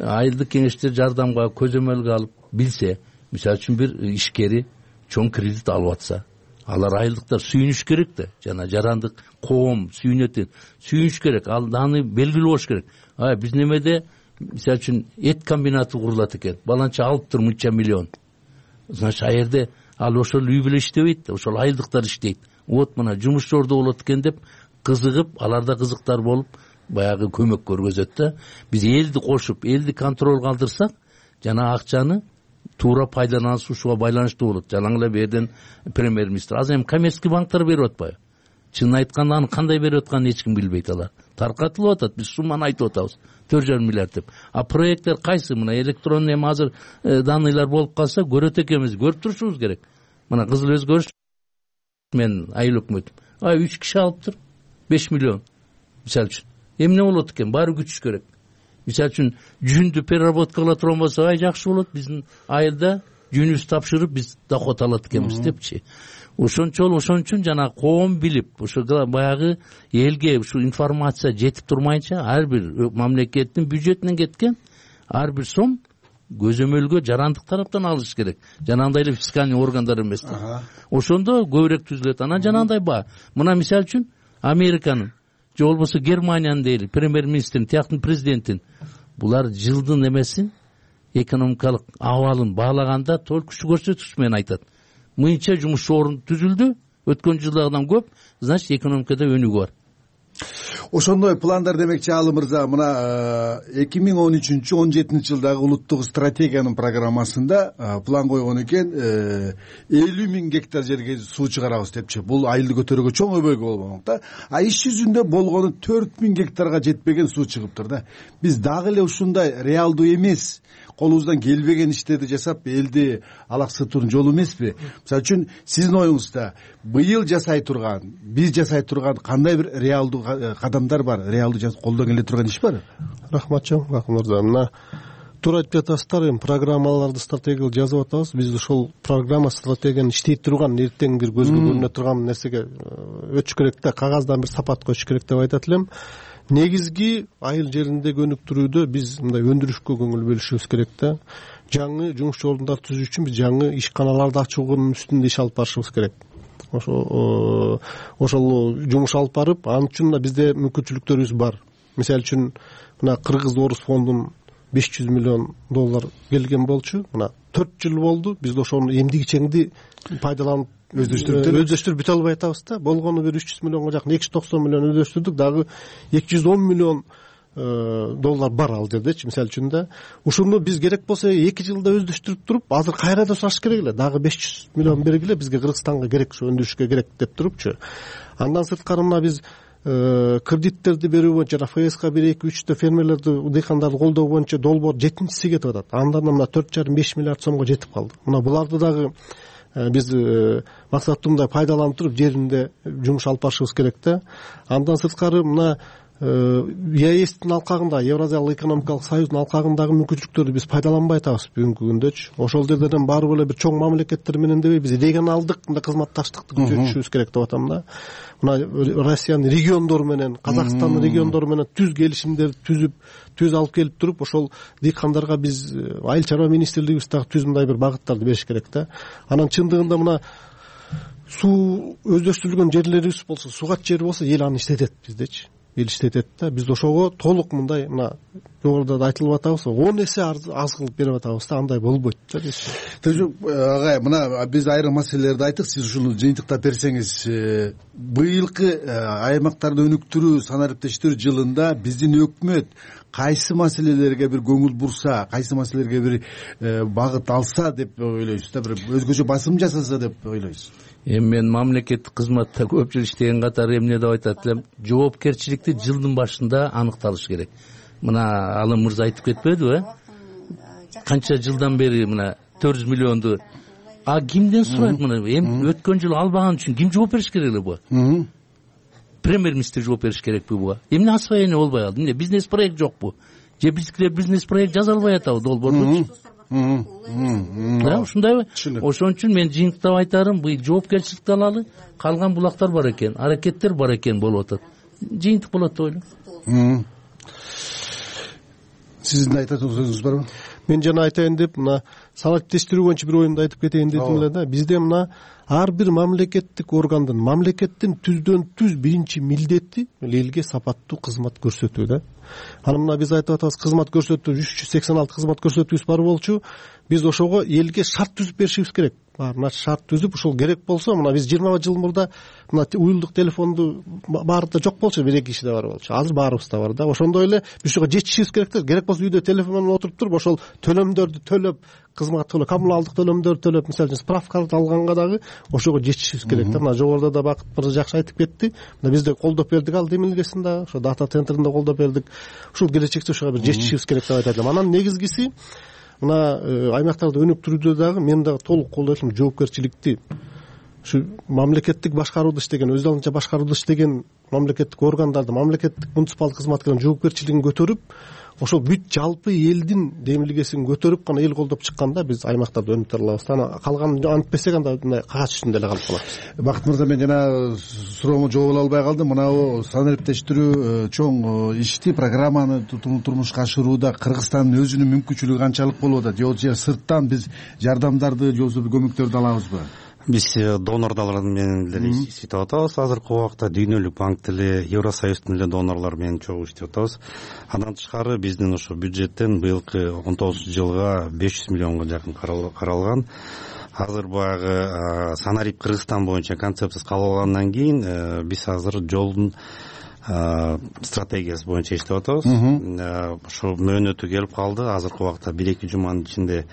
айылдык кеңештер жардамга көзөмөлгө алып билсе, мисалы үчүн бир ишкери чоң кредит алып атса, алар айылдыктар сүйүнүш керек да. Жана жарандык коом сүйүнөт, сүйүнүш керек, ал аны белгилүү болуш керек. А биз немеде мисалы үчүн эт комбинаты курулат экен, баланча алыптыр мынча миллион. Значит, а жерде ал ошол үй бүлө иштебейт, ошол айылдыктар иштейт. Вот мына жумуш орду болот экен деп кызыгып, аларда кызыктар болуп, баягы көмөк көргөзөт да. Биз элди кошуп, элди контролго алдырсак, жана акчаны туура пайдаланышып ушуга байланыштуу болот. Жалаң эле берден премьер-министр азыр эми коммерческий банктар берип атпайбы? Чынын айтканда аны кандай берип атканын эч ким билбейт алар. Таркатылып атат, биз сумманы айтып атабыз. төрт жарым миллиард деп. А проекттер кайсы? Мына электронный эми азыр данныйлар болуп калса, көрөт экенбиз, көрүп турушубуз керек. Мына кызыл өзгөрүш мен айыл өкмөтүм. А үч киши алыптыр, беш миллион. Мисалы үчүн. Эмне болот экен? Баары күчүш керек. Мисалы үчүн жүндү переработка кыла турган болсо, ай жакшы болот. Биздин айылда жүнүбүз тапшырып, биз доход алат экенбиз депчи. Ошончол ошон үчүн жана коом билип, ошо баягы элге ушу информация жетип турмайынча, ар бир мамлекеттин бюджетинен кеткен ар бир сом көзөмөлгө жарандык тараптан алыш керек. Жанагындай эле фискальный органдар эмес. Ошондо көбүрөөк түзүлөт. Анан жанагындай ба. Мына мисалы үчүн Американын же болбосо Германиянын дейли премьер-министрин, тияктын президентин булар жылдын эмесин экономикалык абалын баалаганда только ушу көрсөткүч менен айтат. Мынча жумуш орун түзүлдү, өткөн жылдагыдан көп, значит экономикада өнүгүү бар. Ошондой пландар демекчи Алы мырза, мына эки миң он үчүнчү он жетинчи жылдагы улуттук стратегиянын программасында план койгон экен, элүү миң гектар жерге суу чыгарабыз депчи. Бул айылды көтөрүүгө чоң өбөлгө болмок да. А иш жүзүндө болгону төрт миң гектарга жетпеген суу чыгыптыр да. Биз дагы эле ушундай реалдуу эмес колубуздан келбеген иштерди жасап элди алаксытуунун жолу эмеспи? Мисалы үчүн сиздин оюңузда быйыл жасай турган, биз жасай турган кандай бир реалдуу кадамдар бар, реалдуу колдон келе турган иш бар? Рахмат чоң мырза. Мына туура айтып жатасыздар, эми программаларды стратегиялык жазып атабыз. Биз ошол программа стратегияны иштей турган, эртең бир көзгө көрүнө турган нерсеге өтүш керек да, кагаздан бир сапат коюш керек деп айтат элем. Негизги айыл жериндеги өнүктүрүүдө биз мындай өндүрүшкө көңүл бөлүшүбүз керек да. Жаңы жумуш ордундары түзүү үчүн биз жаңы ишканаларды ачуунун үстүндө иш алып барышыбыз керек. Ошо ошол жумуш алып барып, ал үчүн да бизде мүмкүнчүлүктөрүбүз бар. Мисалы үчүн мына Кыргыз Орус фондунун беш жүз миллион доллар келген болчу. Мына төрт жыл болду. Биз ошону эмдигичеңди пайдаланып өздөштүрүп өздөштүрүп бүтө албай атабыз да. Болгону бир үч жүз миллионго жакын, эки жүз токсон миллион өздөштүрдүк. Дагы эки жүз он миллион доллар бар ал жердечи. Мисалы үчүн да ушуну биз керек болсо эки жылда өздөштүрүп туруп, азыр кайра да сураш керек эле. Дагы беш жүз миллион бергиле, бизге Кыргызстанга керек, ушу өндүрүшкө керек деп турупчу. Андан сырткары мына биз кредиттерди берүү боюнча эф эска бир эки үчтө фермерлерди, дыйкандарды колдоо боюнча долбоор жетинчиси кетип атат. Андан мына төрт жарым беш миллиард сомго жетип калды. Мына буларды дагы биз максаттуу мындай пайдаланып туруп жеринде жумуш алып барышыбыз керек да. Андан сырткары мына ЕАЭстин алкагында, Евразиялык экономикалык союздун алкагындагы мүмкүнчүлүктөрдү биз пайдаланбай атабыз бүгүнкү күндөчү. Ошол жерден барып эле бир чоң мамлекеттер менен дебей, биз регионалдык мындай кызматташтыкты күчөтүшүбүз керек деп атам да. Мына Россиянын региондору менен, Казакстандын региондору менен түз келишимдерди түзүп, түз алып келип туруп, ошол дыйкандарга биз айыл чарба министрлигибиз дагы түз мындай бир багыттарды бериш керек да. Анан чындыгында мына суу өздөштүрүлгөн жерлерибиз болсо, сугат жери болсо, эл аны иштетет биздечи. Эл иштетет да. Биз ошого толук мындай мына жогоруда да айтылып атабыз, он эсе аз кылып берип атабыз да, андай болбойт да. Агай, мына биз айрым маселелерди айттык, сиз ушуну жыйынтыктап берсеңиз, быйылкы аймактарды өнүктүрүү санариптештирүү жылында биздин өкмөт кайсы маселелерге бир көңүл бурса, кайсы маселелерге бир багыт алса деп ойлойсуз да, бир өзгөчө басым жасаса деп ойлойсуз? Эми мен мамлекеттик кызматта көп жыл иштеген катары эмне деп айтат элем, жоопкерчиликти жылдын башында аныкталыш керек. Мына Алым мырза айтып кетпедиби, э? Канча жылдан бери мына төрт жүз миллионду а кимден сурайт мына? Эми өткөн жылы албаган үчүн ким жооп бериш керек эле буга? Премьер-министр жооп бериш керекпи буга? Эмне освоение болбой калды? Эмне бизнес проект жокпу? Же биздикилер бизнес проект жаза албай атабы долбоордучу? Да, ушундайбы? Ошон үчүн мен жыйынтыктап айтарым, бул жоопкерчиликти алалы, калган булактар бар экен, аракеттер бар экен болуп атат. Жыйынтык болот деп ойлойм. Сиздин айтат сөзүңүз барбы? Мен жана айтайын деп, мына санариптештирүү боюнча бир оюмду айтып кетейин дедим эле да. Бизде мына ар бир мамлекеттик органдын, мамлекеттин түздөн түз биринчи милдети элге сапаттуу кызмат көрсөтүү да. Аны мына биз айтып атабыз, кызмат көрсөтүү үч жүз сексен алты кызмат көрсөтүүбүз бар болчу. Биз ошого элге шарт түзүп беришибиз керек. Баарына шарт түзүп, ушул керек болсо, мына биз жыйырма жыл мурда мына уюлдук телефонду баарында жок болчу, бир эки кишиде бар болчу. Азыр баарыбызда бар да. Ошондой эле биз ушуга жетишибиз керек да. Керек болсо үйдө телефон менен отуруп туруп, ошол төлөмдөрдү төлөп, кызмат төлөп, коммуналдык төлөмдөрдү төлөп, мисалы үчүн справкаларды алганга дагы ошого жетишибиз керек да. Мына жогоруда да Бакыт мырза жакшы айтып кетти. Мына бизде колдоп бердик ал демилгесин да, ошо дата центринде колдоп бердик. Ушул келечекте ошого бир жетишибиз керек деп айтат элем. Анан негизгиси мына аймактарды өнүктүрүүдө дагы мен дагы толук колдойт элем жоопкерчиликти. Ушу мамлекеттик башкарууду иштеген, өз алдынча башкарууду иштеген мамлекеттик органдарды, мамлекеттик муниципалдык кызматкерлердин жоопкерчилигин көтөрүп, ошол бүт жалпы элдин демилгесин көтөрүп гана эл колдоп чыкканда биз аймактарды өнүктүрө алабыз. Ана калганын антпесек анда мындай кагаз үстүндө эле калып калабыз. Бакыт мырза, мен жана суроомо жооп ала албай калдым. Мына санариптештирүү чоң ишти, программаны турмушка ашырууда Кыргызстандын өзүнүн мүмкүнчүлүгү канчалык болуп атат? Же сырттан биз жардамдарды же болбосо көмөктөрдү алабызбы? Биз донорлор менен деле иштеп атабыз. Азыркы убакта Дүйнөлүк банк деле, Евросоюздун эле донорлор менен чогуу иштеп атабыз. Андан тышкары биздин ошо бюджеттен быйылкы он тогузунчу жылга беш жүз миллионго жакын каралган. Азыр баягы Санарип Кыргызстан боюнча концепциясы кабыл алгандан кийин биз азыр жолдун стратегиясы боюнча иштеп атабыз. Ошо мөөнөтү келип калды. Азыркы убакта бир эки жуманын ичинде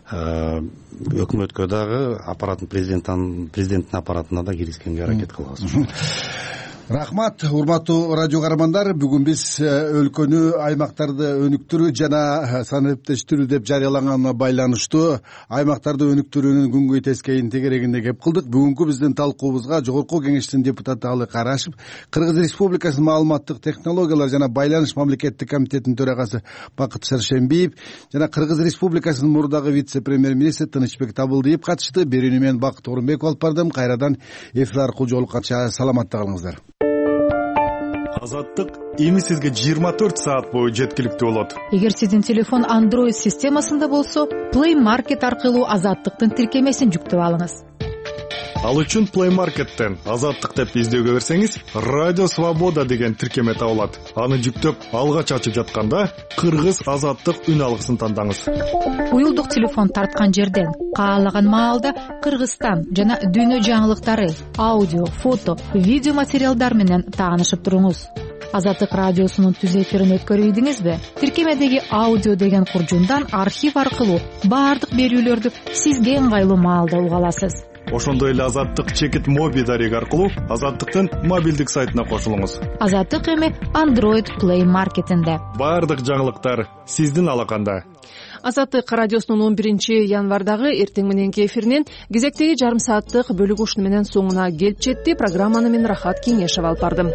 өкмөткө дагы аппараттын президенттин президенттин аппаратына да киргизгенге аракет кылабыз. Рахмат, урматтуу радио каармандар. Бүгүн биз өлкөнү, аймактарды өнүктүрүү жана санариптештирүү деп жарыяланганына байланыштуу аймактарды өнүктүрүүнүн күнгөй тескейин тегерегинде кеп кылдык. Бүгүнкү биздин талкуубузга Жогорку Кеңештин депутаты Алы Карашев, Кыргыз Республикасынын маалыматтык технологиялар жана байланыш мамлекеттик комитетинин төрагасы Бакыт Шаршембиев жана Кыргыз Республикасынын мурдагы вице-премьер-министри Тынычбек Табылдиев катышты. Берүүнү мен Бакыт Орунбеков алып бардым. Кайрадан эфир аркылуу жолукканча саламатта калыңыздар. Азаттык эми сизге жыйырма төрт саат бою жеткиликтүү болот. Эгер сиздин телефон Android системасында болсо, Play Market аркылуу Азаттыктын тиркемесин жүктөп алыңыз. Ал үчүн Play Market'тен Азаттык деп издөөгө берсеңиз, Радио Свобода деген тиркеме табылат. Аны жүктөп, алгач ачып жатканда Кыргыз Азаттык үн алгысын тандаңыз. Уюлдук телефон тарткан жерден каалаган маалда Кыргызстан жана дүйнө жаңылыктары, аудио, фото, видео материалдар менен таанышып туруңуз. Азаттык радиосунун түз эфирин өткөрүп ийдиңизби? Тиркемедеги аудио деген куржундан архив аркылуу баардык берүүлөрдү сизге ыңгайлуу маалда уга аласыз. Ошондой эле Азаттык чекит моби дареги аркылуу Азаттыктын мобилдик сайтына кошулуңуз. Азаттык эми Android Play Market'инде. Баардык жаңылыктар сиздин алаканда. Азаттык радиосунун он биринчи январдагы эртең мененки эфиринин кезектеги жарым сааттык бөлүгү ушуну менен соңуна келип жетти. Программаны мен Рахат Кеңешов алып бардым.